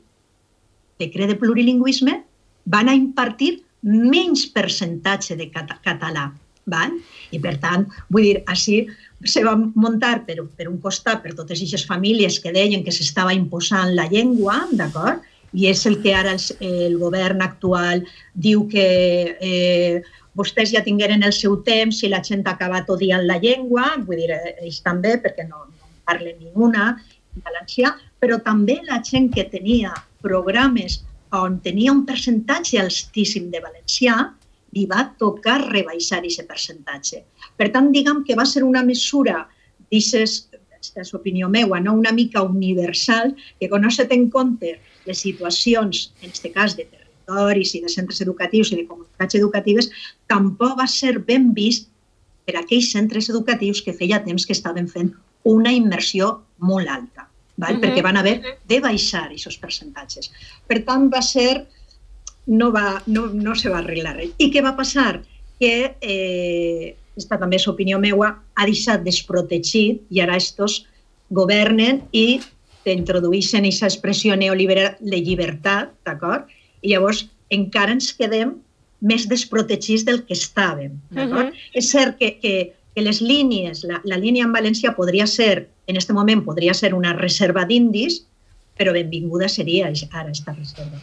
decret de plurilingüisme van a impartir menys percentatge de català. I per tant, vull dir, així se va muntar per un costat per totes aquestes famílies que deien que s'estava imposant la llengua, d'acord? I és el que ara el govern actual diu que vostès ja tingueren el seu temps i la gent ha acabat odiant la llengua, vull dir, ells també, perquè no parlen ninguna en valencià, però també la gent que tenia programes on tenia un percentatge altíssim de valencià, li va tocar rebaixar aquest percentatge. Per tant, diguem que va ser una mesura, aquesta és l'opinió meva, una mica universal, que quan no se té en compte les situacions, en aquest cas de territoris i de centres educatius i de comunitats educatives, tampoc va ser ben vist per aquells centres educatius que feia temps que estaven fent una immersió molt alta, perquè van haver de baixar aquests percentatges. Per tant, va ser... no se va arreglar res. I què va passar? Que, aquesta també és opinió meva, ha deixat desprotegit i ara estos governen i introdueixen aquesta expressió neoliberal de llibertat, d'acord? I llavors encara ens quedem més desprotegits del que estàvem, d'acord? És cert que les línies, la línia en valencià podria ser, en aquest moment podria ser una reserva d'indis, però benvinguda seria ara aquesta reserva.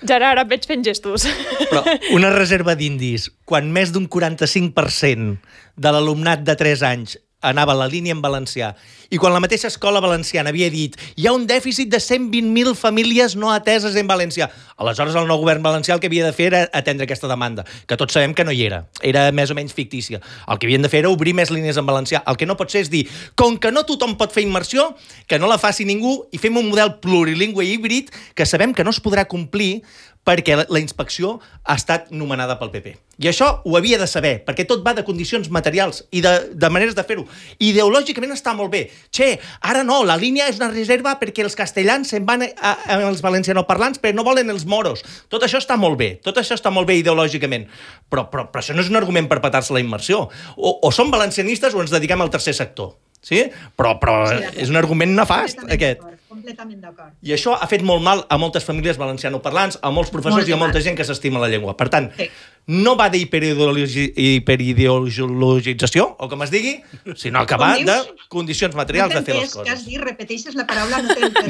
Gerard, et veig fent gestos. Però una reserva d'indis, quan més d'un 45% de l'alumnat de 3 anys anava a la línia en valencià i quan la mateixa escola valenciana havia dit hi ha un dèficit de 120.000 famílies no ateses en valencià. Aleshores, el nou govern valencià el que havia de fer era atendre aquesta demanda, que tots sabem que no hi era més o menys fictícia. El que havien de fer era obrir més línies en valencià. El que no pot ser és dir, com que no tothom pot fer immersió, que no la faci ningú i fem un model plurilingüe i híbrid que sabem que no es podrà complir perquè la inspecció ha estat nomenada pel PP. I això ho havia de saber, perquè tot va de condicions materials i de maneres de fer-ho. Ideològicament està molt bé. Ara no, la línia és una reserva perquè els castellans se'n van als valencianoparlants perquè no volen els moros. Tot això està molt bé, ideològicament. Però això no és un argument per petar-se la immersió. O som valencianistes o ens dediquem al tercer sector. Sí? Però és un argument nefast, aquest. Completament d'acord. I això ha fet molt mal a moltes famílies valencianoparlants, a molts professors i a molta gent que s'estima la llengua. Per tant, no va d'hiperideologització, o com es digui, sinó que va de condicions materials de fer les coses. Que has dit, repeteixes la paraula, no t'he entès.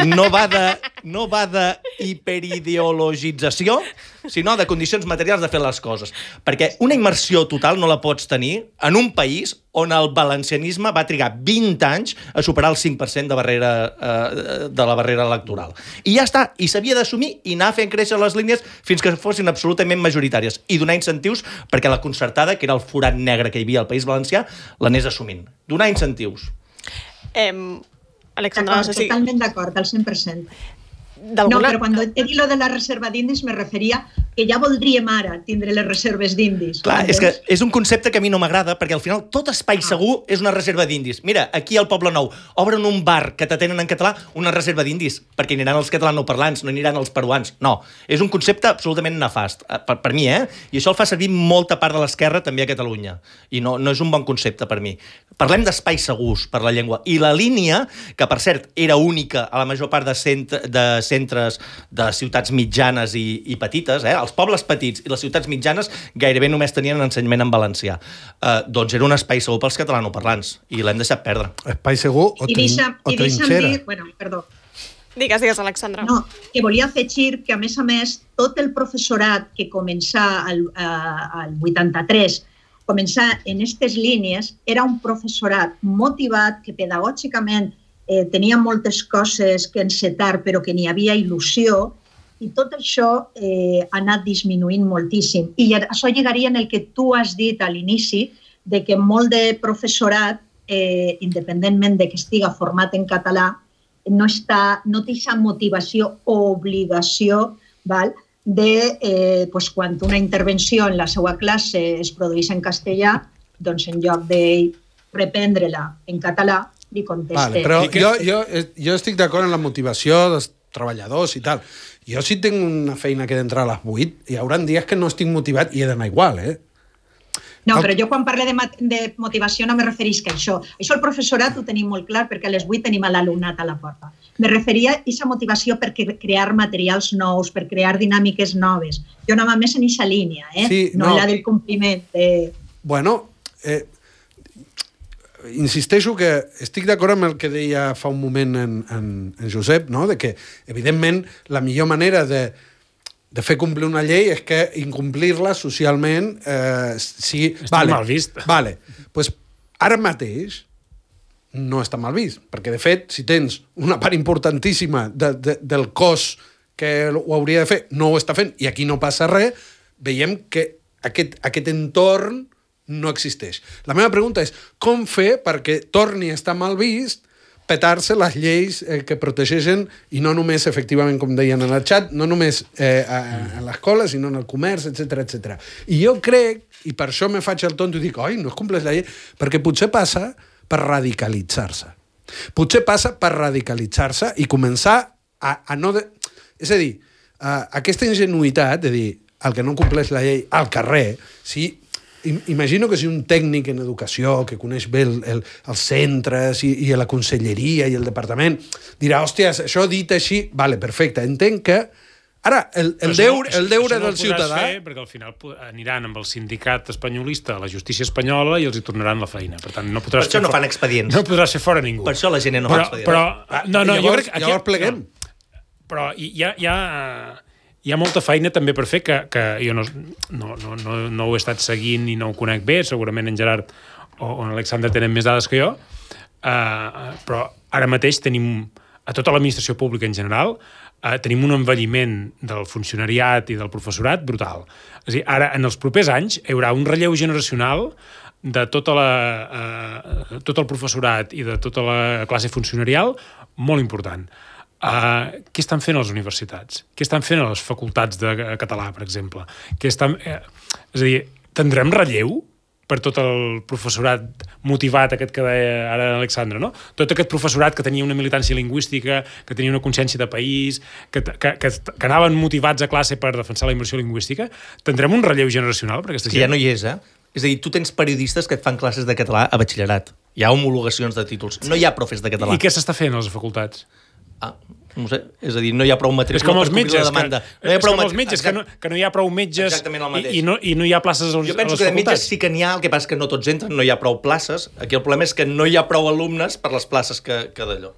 No va de hiperideologització, sinó de condicions materials de fer les coses. Perquè una immersió total no la pots tenir en un país on el valencianisme va trigar 20 anys a superar el 5% de la barrera electoral. I ja està, i s'havia d'assumir i anar fent créixer les línies fins que fossin absolutament majoritàries i donar incentius perquè la concertada, que era el forat negre que hi havia al País Valencià, l'anés assumint. Donar incentius. Alexandra, no sé si... Totalment d'acord, al 100%. No, però quan he dit lo de la reserva d'indis me referia que ja voldríem ara tindre les reserves d'indis. Clar, és que és un concepte que a mi no m'agrada, perquè al final tot espai segur és una reserva d'indis. Mira, aquí al Poble Nou obren un bar que t'atenen en català, una reserva d'indis, perquè aniran els catalanoparlants, no aniran els peruans. No, és un concepte absolutament nefast, per mi, I això el fa servir molta part de l'esquerra també a Catalunya. I no és un bon concepte per mi. Parlem d'espais segurs per la llengua. I la línia, que per cert era única a la major part de centres de ciutats mitjanes i petites, els pobles petits i les ciutats mitjanes gairebé només tenien ensenyament en valencià. Doncs era un espai segur pels catalanoparlants i l'hem deixat perdre. Espai segur o trinxera? Bueno, perdó. Digues, Alexandra. No, que volia afegir que, a més, tot el professorat que començà al 83, començar en aquestes línies, era un professorat motivat que pedagògicament tenia moltes coses que encetar, però que n'hi havia il·lusió, i tot això ha anat disminuint moltíssim. I això lligaria en el que tu has dit a l'inici, de que molt de professorat, independentment de que estiga format en català, no té aquesta motivació o obligació de, quan una intervenció en la seva classe es produeix en castellà, doncs en lloc de reprendre-la en català, li conteste. Però jo estic d'acord en la motivació dels treballadors i tal. Jo si tinc una feina que he d'entrar a les 8, hi haurà dies que no estic motivat i he d'anar igual, No, però jo quan parlo de motivació no me referís que això. Això el professorat ho tenim molt clar perquè a les 8 tenim l'alumnat a la porta. Me referia a aquesta motivació per crear materials nous, per crear dinàmiques noves. Jo anava més en aquesta línia, no la del compliment. Bueno, insisteixo que estic d'acord amb el que deia fa un moment en Josep, no? De que, evidentment, la millor manera de fer complir una llei és que incomplir-la socialment sigui... Està mal vist. Vale. Pues ara mateix no està mal vist, perquè, de fet, si tens una part importantíssima del cos que ho hauria de fer, no ho està fent, i aquí no passa res, veiem que aquest entorn no existeix. La meva pregunta és com fer perquè torni a estar mal vist petar-se les lleis que protegeixen, i no només, efectivament, com deien en el xat, no només a l'escola, sinó en el comerç, etc. I jo crec, i per això me faig el tonto i dic, oi, no es compleix la llei, perquè potser passa per radicalitzar-se. Potser passa per radicalitzar-se i començar a no... És a dir, aquesta ingenuïtat de dir el que no compleix la llei al carrer, si... Imagino que si un tècnic en educació que coneix bé els centres i la conselleria i el departament dirà, hòsties, això dit així, vale, perfecte, entenc que ara el deure del ciutadà... Fer, perquè al final aniran amb el sindicat espanyolista a la justícia espanyola i els hi tornaran la feina. Per tant, no podràs... Per això no fan expedients. No podràs fer fora ningú. Per això la gent no fa expedients. Però jo crec que... Llavors pleguem. Però hi ha molta feina també per fer que jo no ho he estat seguint i no ho conec bé, segurament en Gerard o en Alexandre tenen més dades que jo, però ara mateix tenim, a tota l'administració pública en general, tenim un envelliment del funcionariat i del professorat brutal. És a dir, ara, en els propers anys, hi haurà un relleu generacional de tot el professorat i de tota la classe funcionarial molt important. Què estan fent a les universitats? Què estan fent a les facultats de català, per exemple? És a dir, tindrem relleu per tot el professorat motivat, aquest que deia ara Alexandre, no? Tot aquest professorat que tenia una militància lingüística, que tenia una consciència de país, que anaven motivats a classe per defensar la immersió lingüística, tindrem un relleu generacional per aquesta gent? Que ja no hi és, És a dir, tu tens periodistes que et fan classes de català a batxillerat. Hi ha homologacions de títols. No hi ha profes de català. I què s'està fent a les facultats? No sé, és a dir, no hi ha prou matrícula És com els metges, la demanda. és com els metges, que no hi ha prou metges i no hi ha places a les facultats. Jo penso que de metges sí que n'hi ha, el que passa que no tots entren, no hi ha prou places. Aquí el problema és que no hi ha prou alumnes per les places que d'allò.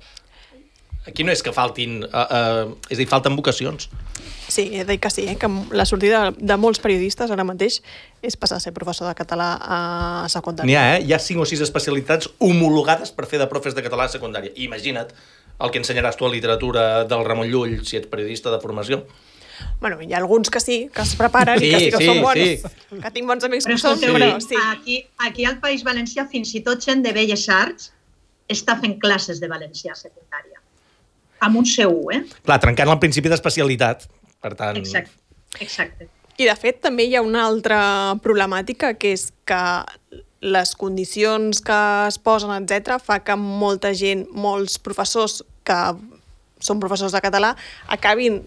Aquí no és que faltin... és a dir, falten vocacions. Sí, he de dir que sí, que la sortida de molts periodistes ara mateix és passar a ser professor de català a secundària. N'hi ha, Hi ha 5 o 6 especialitats homologades per fer de profes de català a secundària. I imagina't el que ensenyaràs tu a literatura del Ramon Llull si ets periodista de formació. Bueno, hi ha alguns que sí, que es preparen i que sí que són bons. Sí. Que tinc bons amics que són, però sí. Aquí al País Valencià fins i tot gent de Belles Arts està fent classes de valencià a secundària. Amb un C1, Clar, trencant el principi d'especialitat. Per tant... Exacte. I, de fet, també hi ha una altra problemàtica, que és que les condicions que es posen, etc., fa que molta gent, molts professors que són professors de català, acabin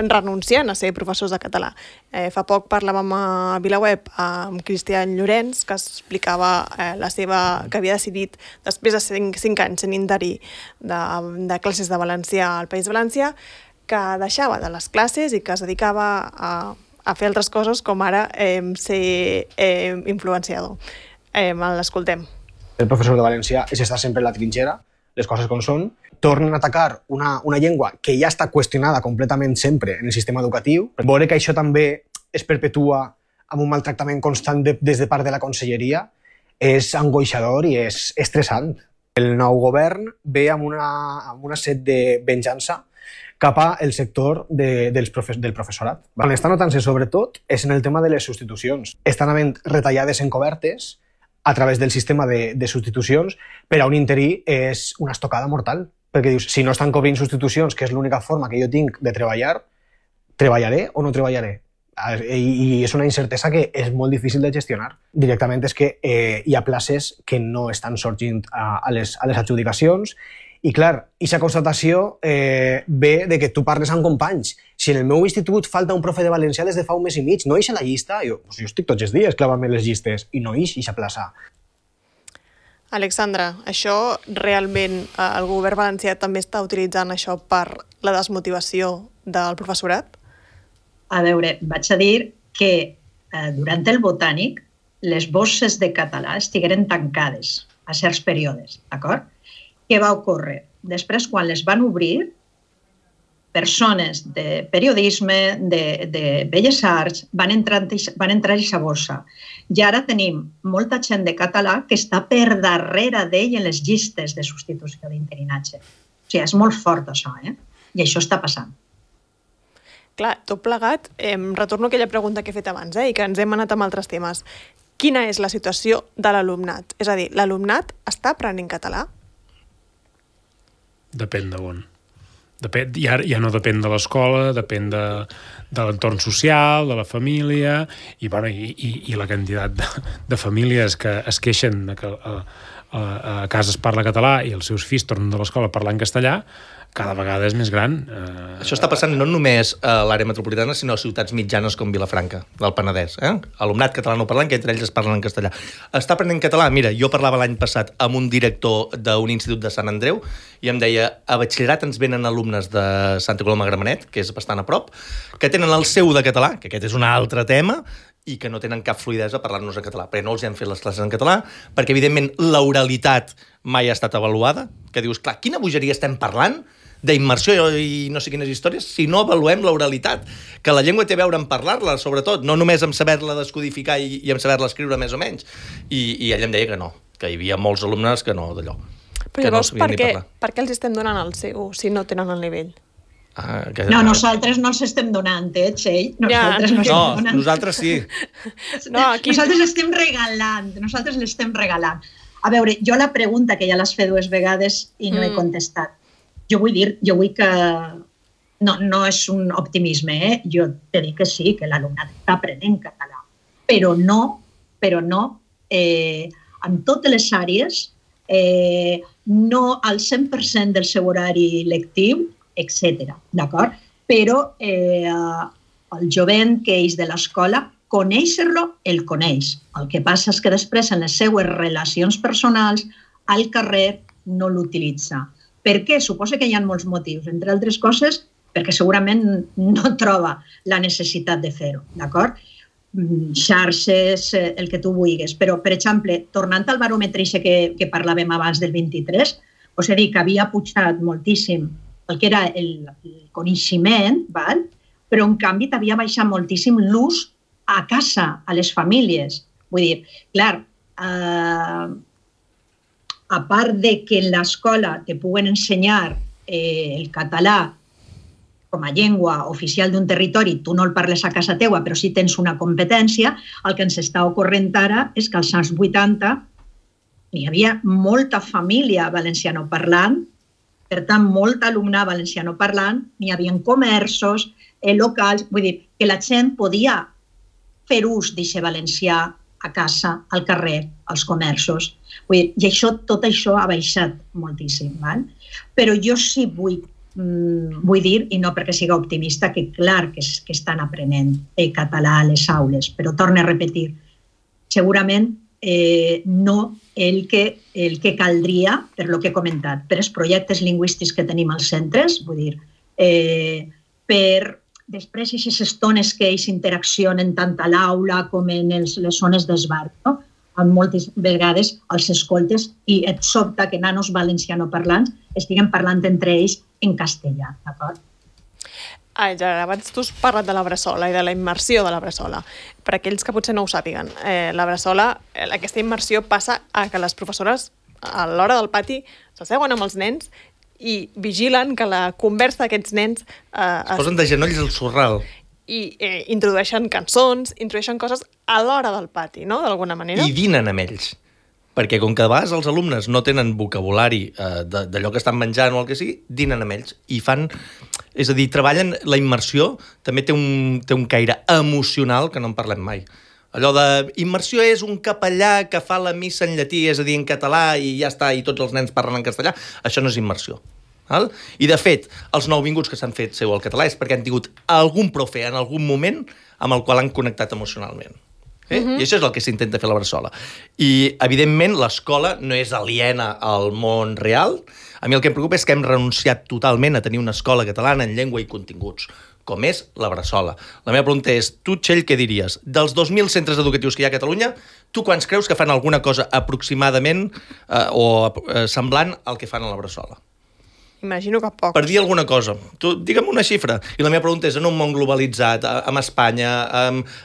renunciant a ser professors de català. Fa poc parlàvem a VilaWeb amb Cristian Llorenç, que explicava que havia decidit, després de 5 anys en interí de classes de valencià al País Valencià, que deixava de les classes i que es dedicava a fer altres coses, com ara ser influenciador. L'escoltem. El professor de valencià és estar sempre en la trinxera, les coses com són, tornen a atacar una llengua que ja està qüestionada completament sempre en el sistema educatiu. Veure que això també es perpetua amb un maltractament constant des de part de la conselleria és angoixador i és estressant. El nou govern ve amb una set de venjança cap al sector del professorat. On està notant-se sobretot és en el tema de les substitucions. Estan havent retallades encobertes a través del sistema de substitucions, per a un interí és una estocada mortal. Perquè dius, si no estan cobrint substitucions, que és l'única forma que jo tinc de treballar, treballaré o no treballaré? I és una incertesa que és molt difícil de gestionar. Directament és que hi ha places que no estan sorgint a les adjudicacions. I clar, aquesta constatació ve de que tu parles amb companys. Si en el meu institut falta un profe de valencià des de fa un mes i mig, no ix a la llista? Jo estic tots els dies clavant-me les llistes i no ix a plaça. Alexandra, això realment el govern valencià també està utilitzant això per la desmotivació del professorat? A veure, vaig a dir que durant el botànic les borses de català estigueren tancades a certs períodes, d'acord? Què va ocórrer? Després, quan les van obrir, persones de periodisme, de Belles Arts, van entrar a aquesta borsa. I ara tenim molta gent de català que està per darrere d'ell en les llistes de substitució d'interinatge. O sigui, és molt fort això, I això està passant. Clar, tot plegat, retorno a aquella pregunta que he fet abans, i que ens hem anat amb altres temes. Quina és la situació de l'alumnat? És a dir, l'alumnat està aprenent català? Depèn d'on. Ja no depèn de l'escola, depèn de l'entorn social, de la família, i la quantitat de famílies que es queixen que a casa es parla català i els seus fills tornen de l'escola parlant castellà, cada vegada és més gran. Això està passant no només a l'àrea metropolitana, sinó a ciutats mitjanes com Vilafranca, del Penedès. Alumnat catalanoparlant, que entre ells es parlen en castellà. Està aprenent català? Mira, jo parlava l'any passat amb un director d'un institut de Sant Andreu i em deia, a batxillerat ens venen alumnes de Santa Coloma de Gramenet, que és bastant a prop, que tenen el seu de català, que aquest és un altre tema, i que no tenen cap fluïdesa a parlar-nos en català, perquè no els hem fet les classes en català, perquè, evidentment, l'oralitat mai ha estat avaluada, que dius, clar, quina bogeria estem parlant d'immersió i no sé quines històries, si no avaluem l'oralitat, que la llengua té a veure en parlar-la, sobretot, no només en saber-la descodificar i en saber-la escriure més o menys. I ella em deia que no, que hi havia molts alumnes que no, d'allò. Però llavors, per què els estem donant el seu si no tenen el nivell? No, nosaltres no els estem donant, Txell. Nosaltres sí. Nosaltres l'estem regalant. A veure, jo la pregunta, que ja l'has fet 2 vegades i no he contestat, jo vull que no és un optimisme, jo te dic que sí, que l'alumnat està aprenent català, però no en totes les àrees, no al 100% del seu horari lectiu, etc. D'acord? Però el jovent que és de l'escola, conèixer-lo, el coneix. El que passa és que després, en les seues relacions personals, al carrer no l'utilitza. Per què? Suposo que hi ha molts motius. Entre altres coses, perquè segurament no troba la necessitat de fer-ho, d'acord? Xarxes, el que tu vulguis. Però, per exemple, tornant al baròmetre que parlàvem abans del 23, us he dit que havia pujat moltíssim el que era el coneixement, val? Però en canvi t'havia baixat moltíssim l'ús a casa, a les famílies. Vull dir, clar, a part de que en l'escola te puguen ensenyar el català com a llengua oficial d'un territori, tu no el parles a casa teua, però sí tens una competència, el que ens està ocorrent ara és que als anys 80 hi havia molta família valencianoparlant, per tant, molt alumnat valencianoparlant, n'hi havia comerços, locals, vull dir, que la gent podia fer ús d'aquest valencià a casa, al carrer, als comerços. Vull dir, i tot això ha baixat moltíssim. Val? Però jo sí vull dir, i no perquè siga optimista, que clar que estan aprenent català a les aules, però torno a repetir, segurament no el que caldria, per lo que he comentat, per els projectes lingüístics que tenim als centres, vull dir, per després aquestes estones que ells interaccionen tant a l'aula com en les zones d'esbarc, no? Moltes vegades els escoltes i et sobta que nanos valencianoparlants estiguen parlant entre ells en castellà, d'acord? Ja abans tu has parlat de la bressola i de la immersió de la bressola. Per aquells que potser no ho sàpiguen, la bressola, aquesta immersió passa a que les professores a l'hora del pati s'asseuen amb els nens i vigilen que la conversa d'aquests nens... Es posen de genolls al sorral. I introdueixen cançons, introdueixen coses a l'hora del pati, no?, d'alguna manera. I dinen amb ells. Perquè com que a vegades els alumnes no tenen vocabulari d'allò que estan menjant o el que sigui, dinen amb ells i fan... És a dir, treballen la immersió, també té un caire emocional que no en parlem mai. Allò de immersió és un capellà que fa la missa en llatí, és a dir, en català, i ja està, i tots els nens parlen en castellà. Això no és immersió. Val? I, de fet, els nouvinguts que s'han fet seu al català és perquè han tingut algun profe en algun moment amb el qual han connectat emocionalment. I això és el que s'intenta fer a la bressola. I, evidentment, l'escola no és aliena al món real. A mi el que em preocupa és que hem renunciat totalment a tenir una escola catalana en llengua i continguts, com és la bressola. La meva pregunta és, tu, Txell, què diries? Dels 2.000 centres educatius que hi ha a Catalunya, tu quants creus que fan alguna cosa aproximadament o semblant al que fan a la bressola? Imagino que pocs. Per dir alguna cosa. Tu, digue'm una xifra. I la meva pregunta és, en un món globalitzat, amb Espanya,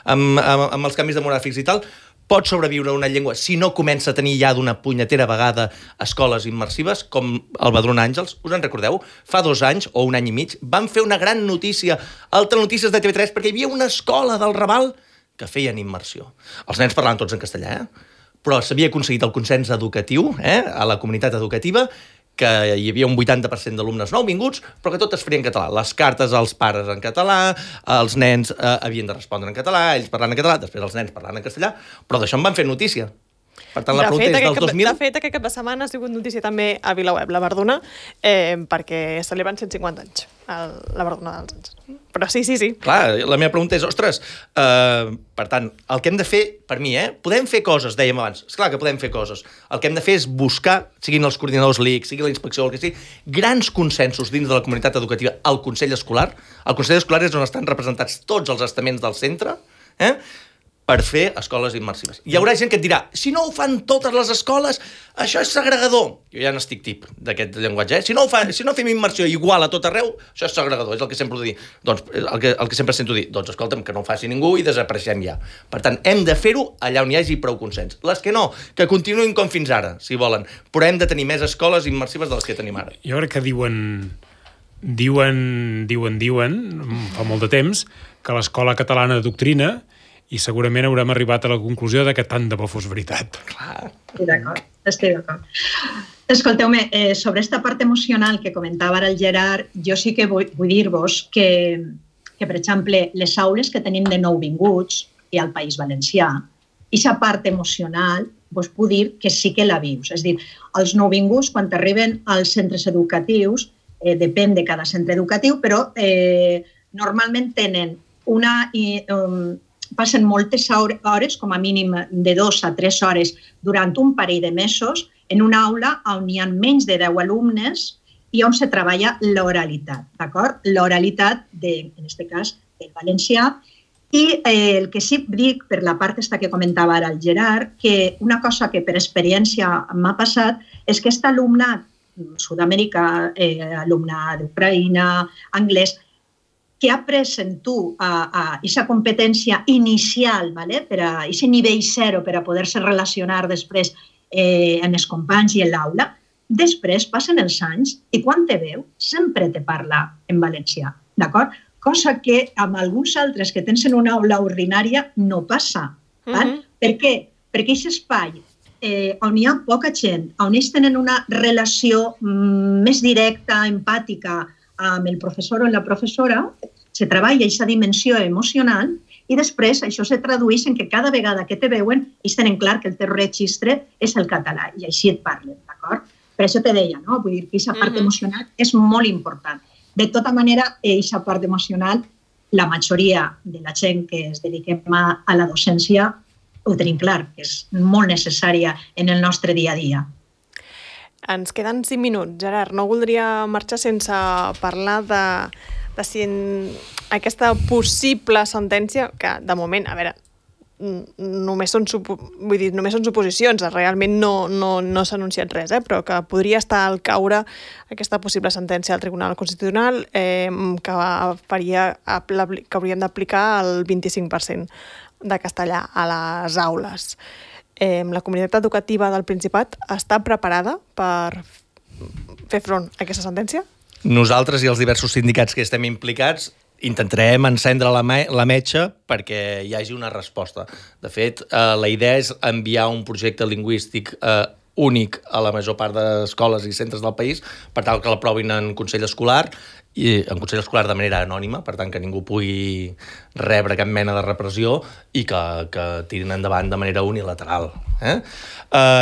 amb els canvis demogràfics i tal, pot sobreviure una llengua si no comença a tenir ja d'una punyetera vegada escoles immersives, com el Badrun Àngels? Us en recordeu? Fa 2 anys o 1 any i mig van fer una gran notícia al Telenotícies de TV3 perquè hi havia una escola del Raval que feien immersió. Els nens parlaven tots en castellà, però s'havia aconseguit el consens educatiu a la comunitat educativa que hi havia un 80% d'alumnes nouvinguts, però que tot es faria en català. Les cartes als pares en català, els nens havien de respondre en català, ells parlant en català, després els nens parlant en castellà, però d'això en van fer notícia. Per tant, la pregunta és dels 2000... De fet, aquest cap de setmana ha sigut notícia també a VilaWeb, la Verduna, perquè celebren 150 anys, la Verduna dels anys. Però sí. Clar, la meva pregunta és, ostres, per tant, el que hem de fer, per mi, podem fer coses, dèiem abans, esclar que podem fer coses. El que hem de fer és buscar, siguin els coordinadors LIC, sigui la inspecció o el que sigui, grans consensos dins de la comunitat educativa al Consell Escolar. El Consell Escolar és on estan representats tots els estaments del centre, per fer escoles immersives. Hi haurà gent que et dirà, si no ho fan totes les escoles, això és segregador. Jo ja n'estic tip d'aquest llenguatge. Si no fem immersió igual a tot arreu, això és segregador, és el que sempre ho dic. Doncs el que sempre sento dir, doncs escolta'm, que no ho faci ningú i desapareixem ja. Per tant, hem de fer-ho allà on hi hagi prou consens. Les que no, que continuïn com fins ara, si volen. Però hem de tenir més escoles immersives de les que tenim ara. Jo crec que diuen fa molt de temps que l'escola catalana doctrina i segurament haurem arribat a la conclusió que tant de bo fos veritat. Clar. Estic d'acord. Escolteu-me, sobre aquesta part emocional que comentava ara el Gerard, jo sí que vull dir-vos que, per exemple, les aules que tenim de nouvinguts i al País Valencià, aquesta part emocional, vos puc dir que sí que la vius. És a dir, els nouvinguts, quan arriben als centres educatius, depèn de cada centre educatiu, però normalment tenen passen moltes hores, com a mínim de 2 a 3 hores, durant un parell de mesos, en una aula on hi ha menys de 10 alumnes i on se treballa l'oralitat, d'acord? L'oralitat, en aquest cas, del valencià. I el que sí dic, per la part que comentava ara el Gerard, que una cosa que per experiència m'ha passat és que aquest alumnat Sud-amèrica, alumnat d'Ucraïna, anglès, que ha après en tu aquesta competència inicial, per a aquest nivell zero per a poder-se relacionar després amb els companys i en l'aula, després passen els anys i quan te veu sempre te parla en valencià, d'acord? Cosa que amb alguns altres que tens en una aula ordinària no passa. Per què? Perquè aquest espai on hi ha poca gent, on ells tenen una relació més directa, empàtica amb el professor o la professora, se treballa aquesta dimensió emocional i després això se tradueix en que cada vegada que te veuen ells tenen clar que el teu registre és el català i així et parlen, d'acord? Per això te deia, no? Vull dir que aquesta part emocional és molt important. De tota manera, aquesta part emocional, la majoria de la gent que es dediquem a la docència ho tenim clar, que és molt necessària en el nostre dia a dia. Ens queden 5 minuts. Gerard, no voldria marxar sense parlar de si aquesta possible sentència, que de moment, a veure, només són suposicions, realment no s'ha anunciat res, però que podria estar al caure aquesta possible sentència del Tribunal Constitucional que hauríem d'aplicar el 25% de castellà a les aules. La comunitat educativa del Principat està preparada per fer front a aquesta sentència? Nosaltres i els diversos sindicats que estem implicats intentarem encendre la metxa perquè hi hagi una resposta. De fet, la idea és enviar un projecte lingüístic únic a la major part d'escoles i centres del país per tal que l'aprovin en Consell Escolar i en Consell Escolar de manera anònima, per tant que ningú pugui rebre cap mena de repressió i que tirin endavant de manera unilateral.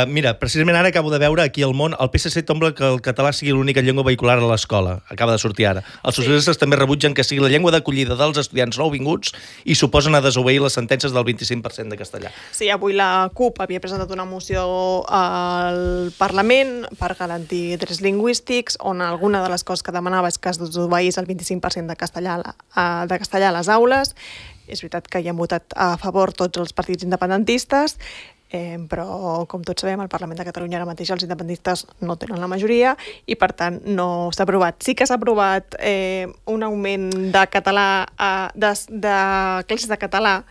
Mira, precisament ara acabo de veure aquí al Món, el PSC tomba que el català sigui l'única llengua vehicular a l'escola. Acaba de sortir ara. Els socialistes també rebutgen que sigui la llengua d'acollida dels estudiants nouvinguts i suposen a desobeir les sentències del 25% de castellà. Sí, avui la CUP havia presentat una moció al Parlament per garantir drets lingüístics, on alguna de les coses que demanava és que es desobeís el 25% de castellà a les aules. És veritat que hi han votat a favor tots els partits independentistes, però, com tots sabem, al Parlament de Catalunya ara mateix els independentistes no tenen la majoria i, per tant, no s'ha aprovat. Sí que s'ha aprovat un augment de català, de classes de català,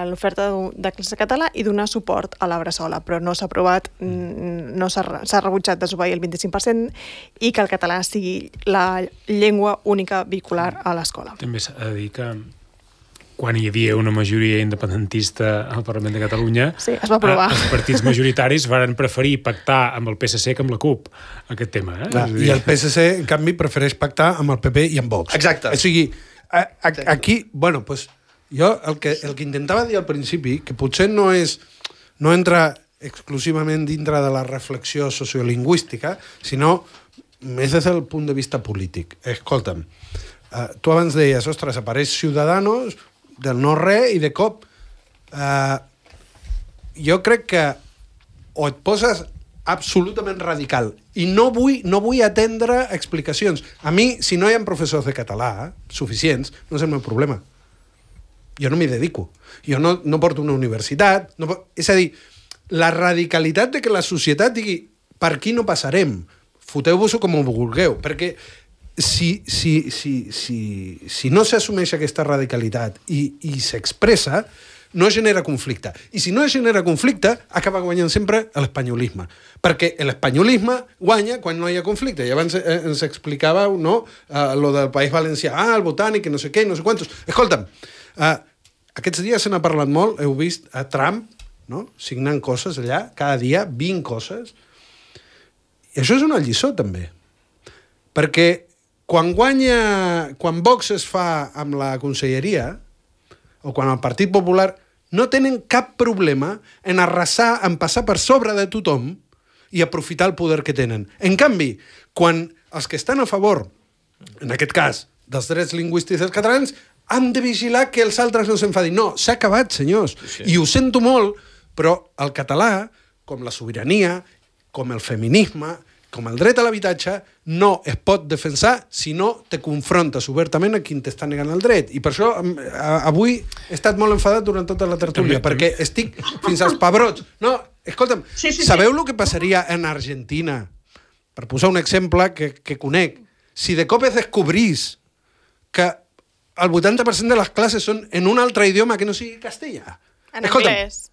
l'oferta de classes de català i donar suport a la Bressola, però no s'ha aprovat, s'ha rebutjat desobeir el 25% i que el català sigui la llengua única vehicular a l'escola. També s'ha de dir que quan hi havia una majoria independentista al Parlament de Catalunya, sí, es va aprovar. Els partits majoritaris van preferir pactar amb el PSC que amb la CUP aquest tema. I el PSC, en canvi, prefereix pactar amb el PP i amb Vox. Exacte. O sigui, aquí, bueno, pues, jo el que intentava dir al principi, que potser no entra exclusivament dintre de la reflexió sociolingüística, sinó més des del punt de vista polític. Escolta'm, tu abans deies, ostres, apareix Ciudadanos del no-res i de cop jo crec que o et poses absolutament radical i no vull atendre explicacions. A mi, si no hi ha professors de català suficients, no és el meu problema. Jo no m'hi dedico. Jo no porto una universitat. És a dir, la radicalitat de que la societat digui per aquí no passarem, foteu-vos-ho com ho vulgueu, perquè si no s'assumeix aquesta radicalitat i s'expressa, no genera conflicte. I si no genera conflicte, acaba guanyant sempre l'espanyolisme. Perquè l'espanyolisme guanya quan no hi ha conflicte. I abans ens explicàveu, no?, lo del País Valencià, el botànic, no sé què, no sé quantos. Escolta'm, aquests dies se n'ha parlat molt, heu vist a Trump, no?, signant coses allà, cada dia, 20 coses. I això és una lliçó, també. Perquè quan Vox es fa amb la conselleria, o quan el Partit Popular, no tenen cap problema en arrasar, en passar per sobre de tothom i aprofitar el poder que tenen. En canvi, quan els que estan a favor, en aquest cas, dels drets lingüístics dels catalans, han de vigilar que els altres no s'enfadin. No, s'ha acabat, senyors. Sí. I ho sento molt, però el català, com la sobirania, com el feminisme, com el dret a l'habitatge, no es pot defensar si no te confrontes obertament a qui t'està negant el dret. I per això avui he estat molt enfadat durant tota la tertúlia, perquè estic fins als pebrots. No, escolta'm, sabeu el que passaria en Argentina? Per posar un exemple que conec. Si de cop es descobrís que el 80% de les classes són en un altre idioma que no sigui castellà. En anglès.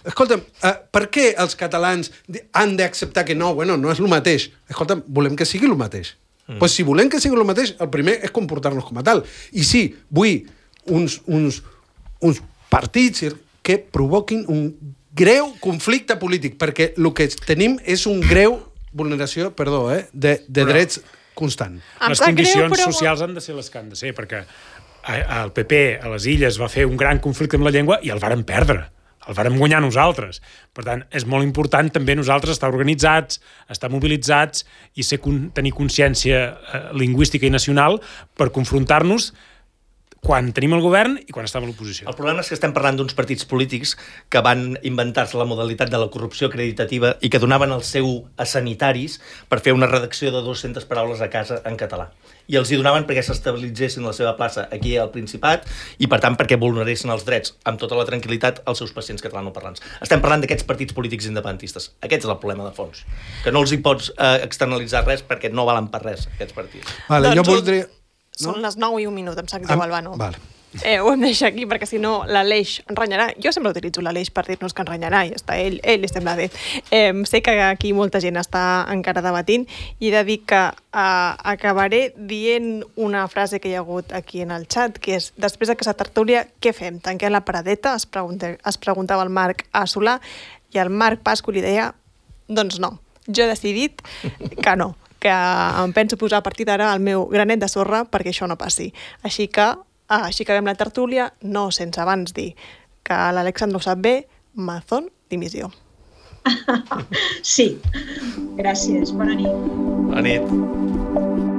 Escolta'm, per què els catalans han d'acceptar que no és el mateix? Escolta'm, volem que sigui el mateix. Pues si volem que sigui el mateix, el primer és comportar-nos com a tal. I sí, vull uns partits que provoquin un greu conflicte polític, perquè el que tenim és un greu vulneració, de drets constant. Les condicions socials han de ser les que han de ser, perquè el PP a les Illes va fer un gran conflicte amb la llengua i el vàrem perdre. El vàrem guanyar nosaltres. Per tant, és molt important també nosaltres estar organitzats, estar mobilitzats i tenir consciència lingüística i nacional per confrontar-nos quan tenim el govern i quan estem a l'oposició. El problema és que estem parlant d'uns partits polítics que van inventar-se la modalitat de la corrupció acreditativa i que donaven el seu a sanitaris per fer una redacció de 200 paraules a casa en català. I els hi donaven perquè s'estabilitzessin la seva plaça aquí al Principat i, per tant, perquè vulneressin els drets amb tota la tranquil·litat als seus pacients catalanoparlants. Estem parlant d'aquests partits polítics independentistes. Aquest és el problema de fons. Que no els hi pots externalitzar res perquè no valen per res, aquests partits. Vale, jo voldria... Són les 9 i 1 minut, em sap greu, Albano. Vale. Ho hem de deixar aquí perquè si no l'Aleix ens renyarà. Jo sempre utilitzo l'Aleix per dir-nos que ens renyarà i està ell li sembla bé. Sé que aquí molta gent està encara debatint i he de dir que acabaré dient una frase que hi ha hagut aquí en el xat, que és, després d'aquesta tertúlia, què fem? Tanquem la paradeta? Es preguntava el Marc a Solà i el Marc Pasco li deia, doncs no, jo he decidit que no, que em penso posar a partir d'ara el meu granet de sorra perquè això no passi. Així que acabem la tertúlia, no sense abans dir que l'Alexandre ho sap bé, Mazón, dimissió. Sí, gràcies, bona nit. Bona nit.